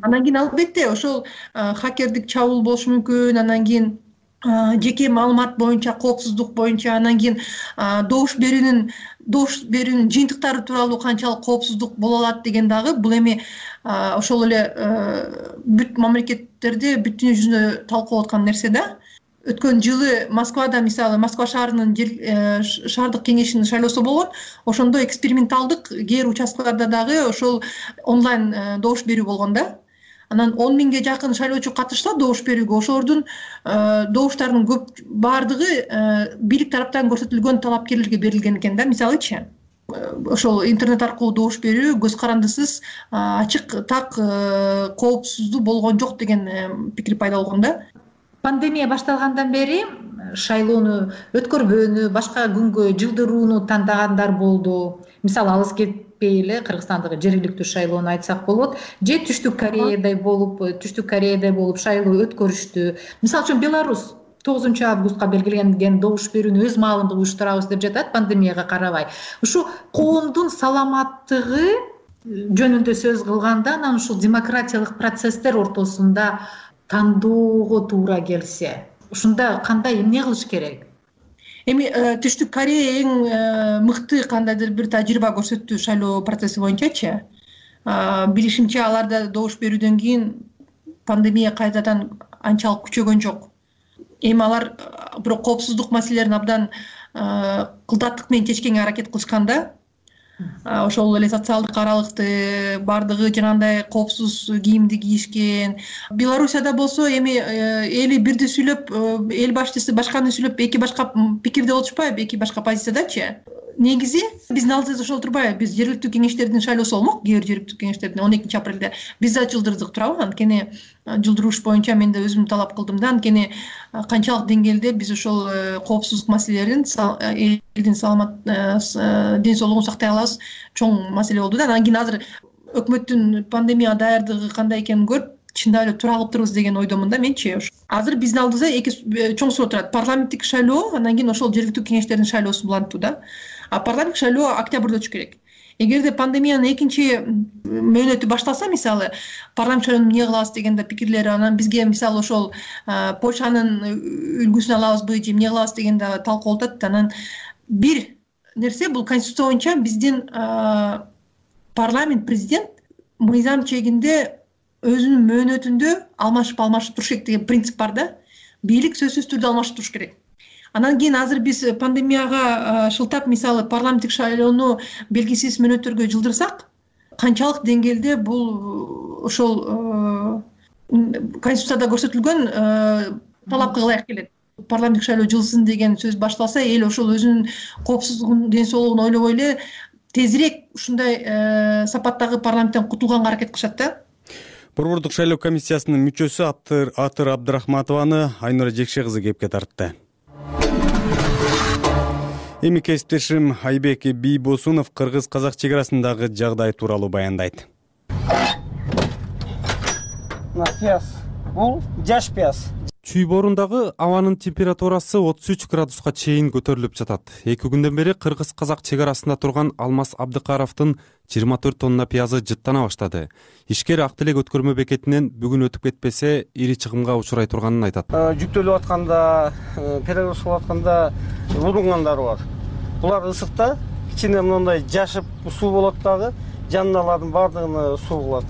Анан кийин албетте ошол хакердик чабуул болушу мүмкүн, анан кийин жеке маалымат боюнча, коопсуздук боюнча, анан кийин добуш берүүнүн добуш берүүнүн жыйынтыктары тууралуу канчалык коопсуздук боло алат деген дагы бул эми ошол эле бүт мамлекеттерде бүт дүйнө жүзүндө талкууланып аткан нерсе да. Өткөн жылы Москвада, мисалы Москва шаарынын шаардык кеңешинин шайлоосу болгон. Ошондо эксперименталдык кээ бир участкаларда дагы ошол онлайн добуш берүү болгон да. Анан он миңге жакын шайлоочу катышса добуш берүүгө, ошолордун добуштарынын көп баардыгы бийлик тараптан көрсөтүлгөн талапкерлерге берилген экен да, мисалычы. Ошол интернет аркылуу добуш берүү көз карандысыз, ачык, так, коопсуздуу болгон жок деген пикир пайда болгон да. Пандемия башталгандан бери шайлоону өткөрбөөнү, башка күнгө жылдырууну тандагандар болду. Мисалы алыс кетпей эле Кыргызстандагы жергиликтүү шайлоону айтсак болот. Же Түштүк Кореядай болуп, Түштүк Кореядай болуп шайлоо өткөрүштү. Мисалы үчүн Беларусь тогузунчу августка белгиленген добуш берүүнү өз маалында уюштурабыз деп жатат, пандемияга карабай. Ушу коомдун саламаттыгы жөнүндө сөз кылганда, анан ушул демократиялык процесстер ортосунда тандоого туура келсе, ушунда кандай эмне кылыш керек? Эми Түштүк Корея эң мыкты кандайдыр бир тажрыйба көрсөттү шайлоо процесси боюнчачы. Билишимче, аларда добуш берүүдөн кийин пандемия кайрадан анчалык күчөгөн жок. Эми алар бирок коопсуздук маселелерин абдан кылдаттык менен чечкенге аракет кылышкан да. Ошол эле социалдык аралыкты баардыгы жанагындай коопсуз кийимди кийишкен. Белоруссияда болсо эми эли бирди сүйлөп, эл башчысы башканы сүйлөп, эки башка пикирде болушпайбы, эки башка позициядачы. Негизи биздин алдыбызда ошол турбайбы? Биз жергиликтүү кеңештердин шайлоосу болмок, кээ бир жергиликтүү кеңештердин он экинчи апрелде биз да жылдырдык туурабы? Анткени жылдырууш боюнча мен да өзүм талап кылдым да, анткени канчалык деңгээлде биз ошол коопсуздук маселелерин, элдин саламат ден соолугун сактай алабыз, чоң маселе болду да. Анан кийин азыр өкмөттүн пандемияга даярдыгы кандай экенин көрүп, чындап эле тура кылыптырбыз деген ойдомун да менчи. Азыр биздин алдыбызда эки чоң суроо турат. Парламенттик шайлоо, анан кийин ошол жергиликтүү кеңештердин шайлоосу булантуу да. А парламенттик шайлоо октябрда өтүш керек. Эгерде пандемиянын экинчи мөөнөтү башталса, мисалы, парламент шайлоону эмне кылабыз дегенде пикирлери, анан бизге мисалы ошол Польшанын үлгүсүн алабызбы же эмне кылабыз дегенде талкуу болуп атат. Анан бир нерсе, бул конституция боюнча биздин парламент, президент мыйзам чегинде өзүнүн мөөнөтүндө алмашып алмашып туруш керек деген принцип бар да. Бийлик сөзсүз түрдө алмашып туруш керек. Анан кийин азыр биз пандемияга шылтап мисалы парламенттик шайлоону белгисиз мөөнөттөргө жылдырсак, канчалык деңгээлде бул ошол конституцияда көрсөтүлгөн талапка ылайык келет. Парламенттик шайлоо жылсын деген сөз башталса, эл ошол өзүнүн коопсуздугун, ден соолугун ойлобой эле тезирээк ушундай сапаттагы парламенттен кутулганга аракет кылышат да. Борбордук шайлоо комиссиясынын мүчөсү Атыр Абдрахматованы Айнура Жекше кызы кепке тартты. Эми кесиптешим Айбек Бийбосунов кыргыз-казак чек арасындагы жагдай тууралуу баяндайт. Пияз. Бул жаш пияз. Чүй боорундагы абанын температурасы отуз үч градуска чейин көтөрүлүп жатат. Эки күндөн бери кыргыз-казак чек арасында турган Алмаз Абдыкаровдун жыйырма төрт тонна пиязы жыттана баштады. Ишкер Ак Тилек өткөрмө бекетинен бүгүн өтүп кетпесе, ири чыгымга учурай турганын айтат. Жүктөлүп атканда, перегруз болуп атканда улунгандар бар. Булар ысыкта кичине мындай жашып суу болот дагы, жанындагылардын баардыгына суу кылат.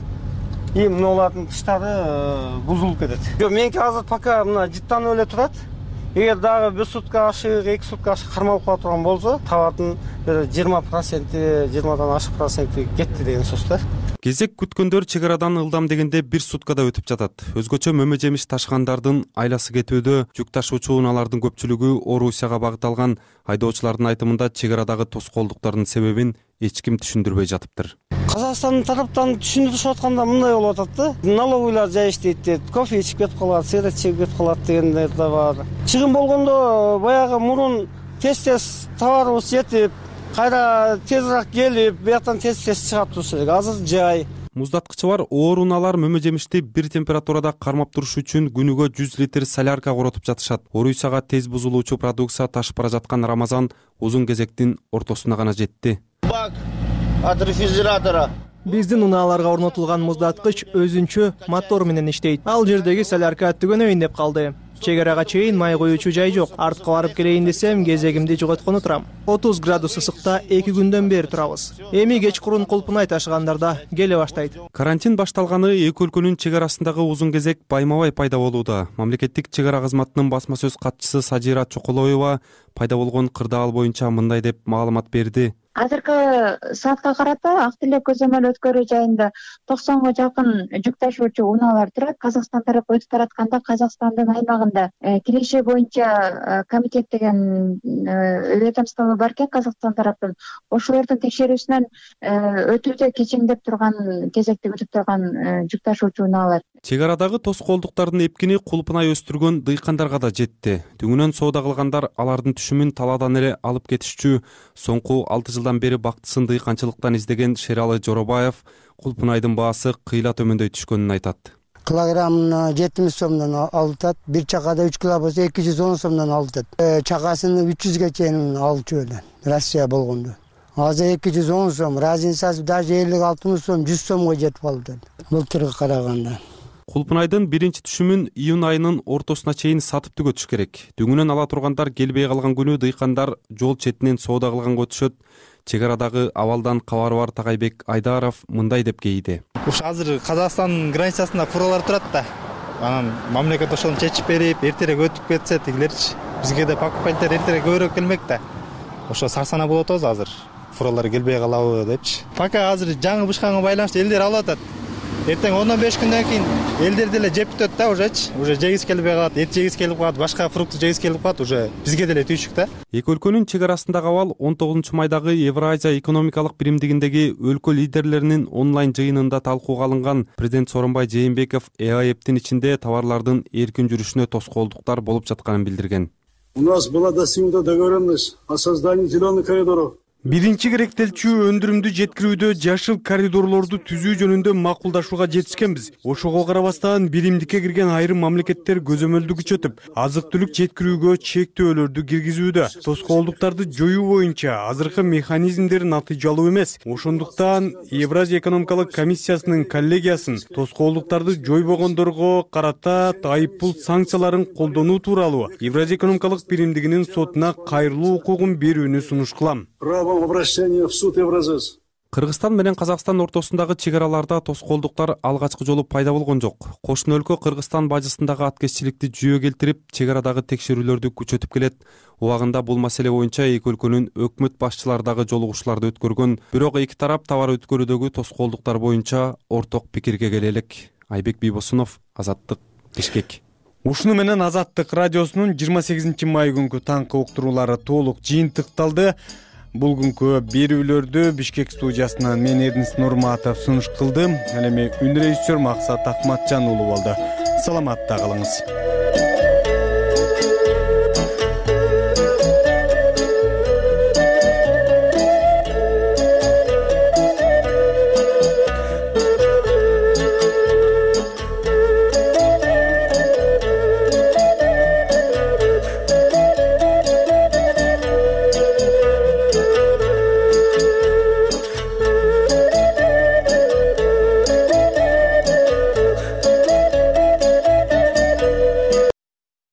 И мыналардын тыштары бузулуп кетет. Меники азыр пока мына жыттанып эле турат. Эгер дагы бир сутка ашык, эки сутка ашык кармалып кала турган болсо, табатын жыйырма проценти, жыйырмадан ашык проценти кетти деген сөз да. Кезек күткөндөр чек арадан ылдам дегенде бир суткада өтүп жатат. Өзгөчө мөмө жемиш ташыгандардын айласы кетүүдө, жүк ташуучу унаалардын көпчүлүгү Орусияга багыт алган. Айдоочулардын айтымында чек арадагы тоскоолдуктардын себебин эч ким түшүндүрбөй жатыптыр. Казакстандын тараптан түшүндүрүшүп атканда мындай болуп атат да. Налоговыйлар жай иштейт дейт, кофе ичип кетип калат, сигарет чегип кетип калат дегендер да бар. Чыгым болгондо баягы мурун тез-тез товарыбыз жетип, кайра тезирээк келип, бияктан тез-тез чыгат туруш керек. Азыр жай. Муздаткычы бар ооруналар мөмө жемишти бир температурада кармап туруш үчүн күнүгө жүз литр солярка коротуп жатышат. Орусияга тез бузулуучу продукция ташып бара жаткан Рамазан узун кезектин ортосуна гана жетти. Бак от рефрижератора. Биздин унааларга орнотулган муздаткыч өзүнчө мотор менен иштейт. Ал жердеги солярка түгөнөйүн деп калды. Чек арага чейин май коюучу жай жок. Артка барып келейин десем, кезегимди жоготкону турам. отуз градус ысыкта эки күндөн бери турабыз. Эми кечкурун Кулпунай ташыгандарда келе баштайт. Карантин башталганы эки өлкөнүн чек арасындагы узун кезек байма-бай пайда болууда. Мамлекеттик чек ара кызматынын басма сөз катчысы Сажира Чоколоева пайда болгон кырдаал боюнча мындай деп маалымат берди. Азыркы саатка карата Ак Тилек көзөмөл өткөрүү жайында токсонго жакын жүк ташуучу унаалар турат. Казакстан тарапы өтүп баратканда Казакстандын аймагында киреше боюнча комитет деген ведомство бар экен Казакстан тараптан. Ошолордун текшерүүсүнөн өтүүдө кечеңдеп турган, кезекте өтүп турган жүк ташуучу унаалар. Чек арадагы тоскоолдуктардын эпкини Кулпунай өстүргөн дыйкандарга да жетти. Дүңүнөн соода кылгандар алардын түшүмүн талаадан эле алып кетишчү. Соңку алты жылдан бери бактысын дыйканчылыктан издеген Шералы Жоробаев Кулпунайдын баасы кыйла төмөндөй түшкөнүн айтат. Килограммына жетимиш сомдон алытат, бир чакада үч кило болсо эки жүз он сомдон алытат. Чакасын үч жүзгө чейин алчу эле Россия болгондо. Азыр эки жүз он сом, разницасы даже элүү алтымыш сом, жүз сомго жетип калды. Былтырга караганда. Кулпунайдын биринчи түшүмүн июнь айынын ортосуна чейин сатып түгөтүш керек. Дүңүнөн ала тургандар келбей калган күнү дыйкандар жол четинен соода кылганга өтүшөт. Чек арадагы абалдан кабары бар Тагайбек Айдаров мындай деп кейди. Уш азыр Казакстандын границасында фуралар турат да. Анан мамлекет ошону чечип берип, эртерээк өтүп кетсе тигилерчи. Бизге да покупательдер эртерээк көбүрөөк келмек да. Ошо сарсанаа болуп атабыз азыр. Фуралар келбей калабы депчи. Пока азыр жаңы бышканга байланыштуу элдер алып атат. Эртең он беш күндөн кийин элдер деле жеп бүтөт да, ужечи. Уже жегиси келбей калат, эт жегиси келип калат, башка фрукт жегиси келип калат, уже бизге деле түйшүк да. Эки өлкөнүн чек арасындагы абал он тогузунчу майдагы Евразия экономикалык биримдигиндеги өлкө лидерлеринин онлайн жыйынында талкууга алынган. Президент Сооронбай Жээнбеков ЭАЭптин ичинде товарлардын эркин жүрүшүнө тоскоолдуктар болуп жатканын билдирген. У нас была достигнута договоренность о создании зеленых коридоров. Биринчи керектелчү өндүрүмдү жеткирүүдө жашыл коридорлорду түзүү жөнүндө макулдашууга жетишкенбиз. Ошого карабастан биримдикке кирген айрым мамлекеттер көзөмөлдү күчөтүп, азык-түлүк жеткирүүгө чектөөлөрдү киргизүүдө. Тоскоолдуктарды жоюу боюнча азыркы механизмдер натыйжалуу эмес. Ошондуктан Евразия экономикалык комиссиясынын коллегиясын тоскоолдуктарды жойбогондорго карата айыппул санкцияларын колдонуу тууралуу Евразия экономикалык биримдигинин сотуна кайрылуу укугун берүүнү сунуш кылам. Обращение в суд Евразес. Кыргызстан менен Казакстан ортосундагы чек араларда тоскоолдуктар алгачкы жолу пайда болгон жок. Кошуна өлкө Кыргызстан бажысындагы аткезчиликти жүйө келтирип, чек арадагы текшерүүлөрдү күчөтүп келет. Убагында бул маселе боюнча эки өлкөнүн өкмөт башчылары дагы жолугушууларды өткөргөн. Бирок эки тарап товар өткөрүүдөгү тоскоолдуктар боюнча орток пикирге келе элек. Айбек Бийбосунов, Азаттык, Бишкек. Ушуну менен Азаттык радиосунун жыйырма сегизинчи май күнкү таңкы уктуруулары толук жыйынтыкталды. Бул күнкү берүүлөрдү Бишкек студиясынан мен Эрнис Нурматов сунуш кылдым. Ал эми үн режиссер Максат Акматжан уулу болду. Саламатта калыңыз.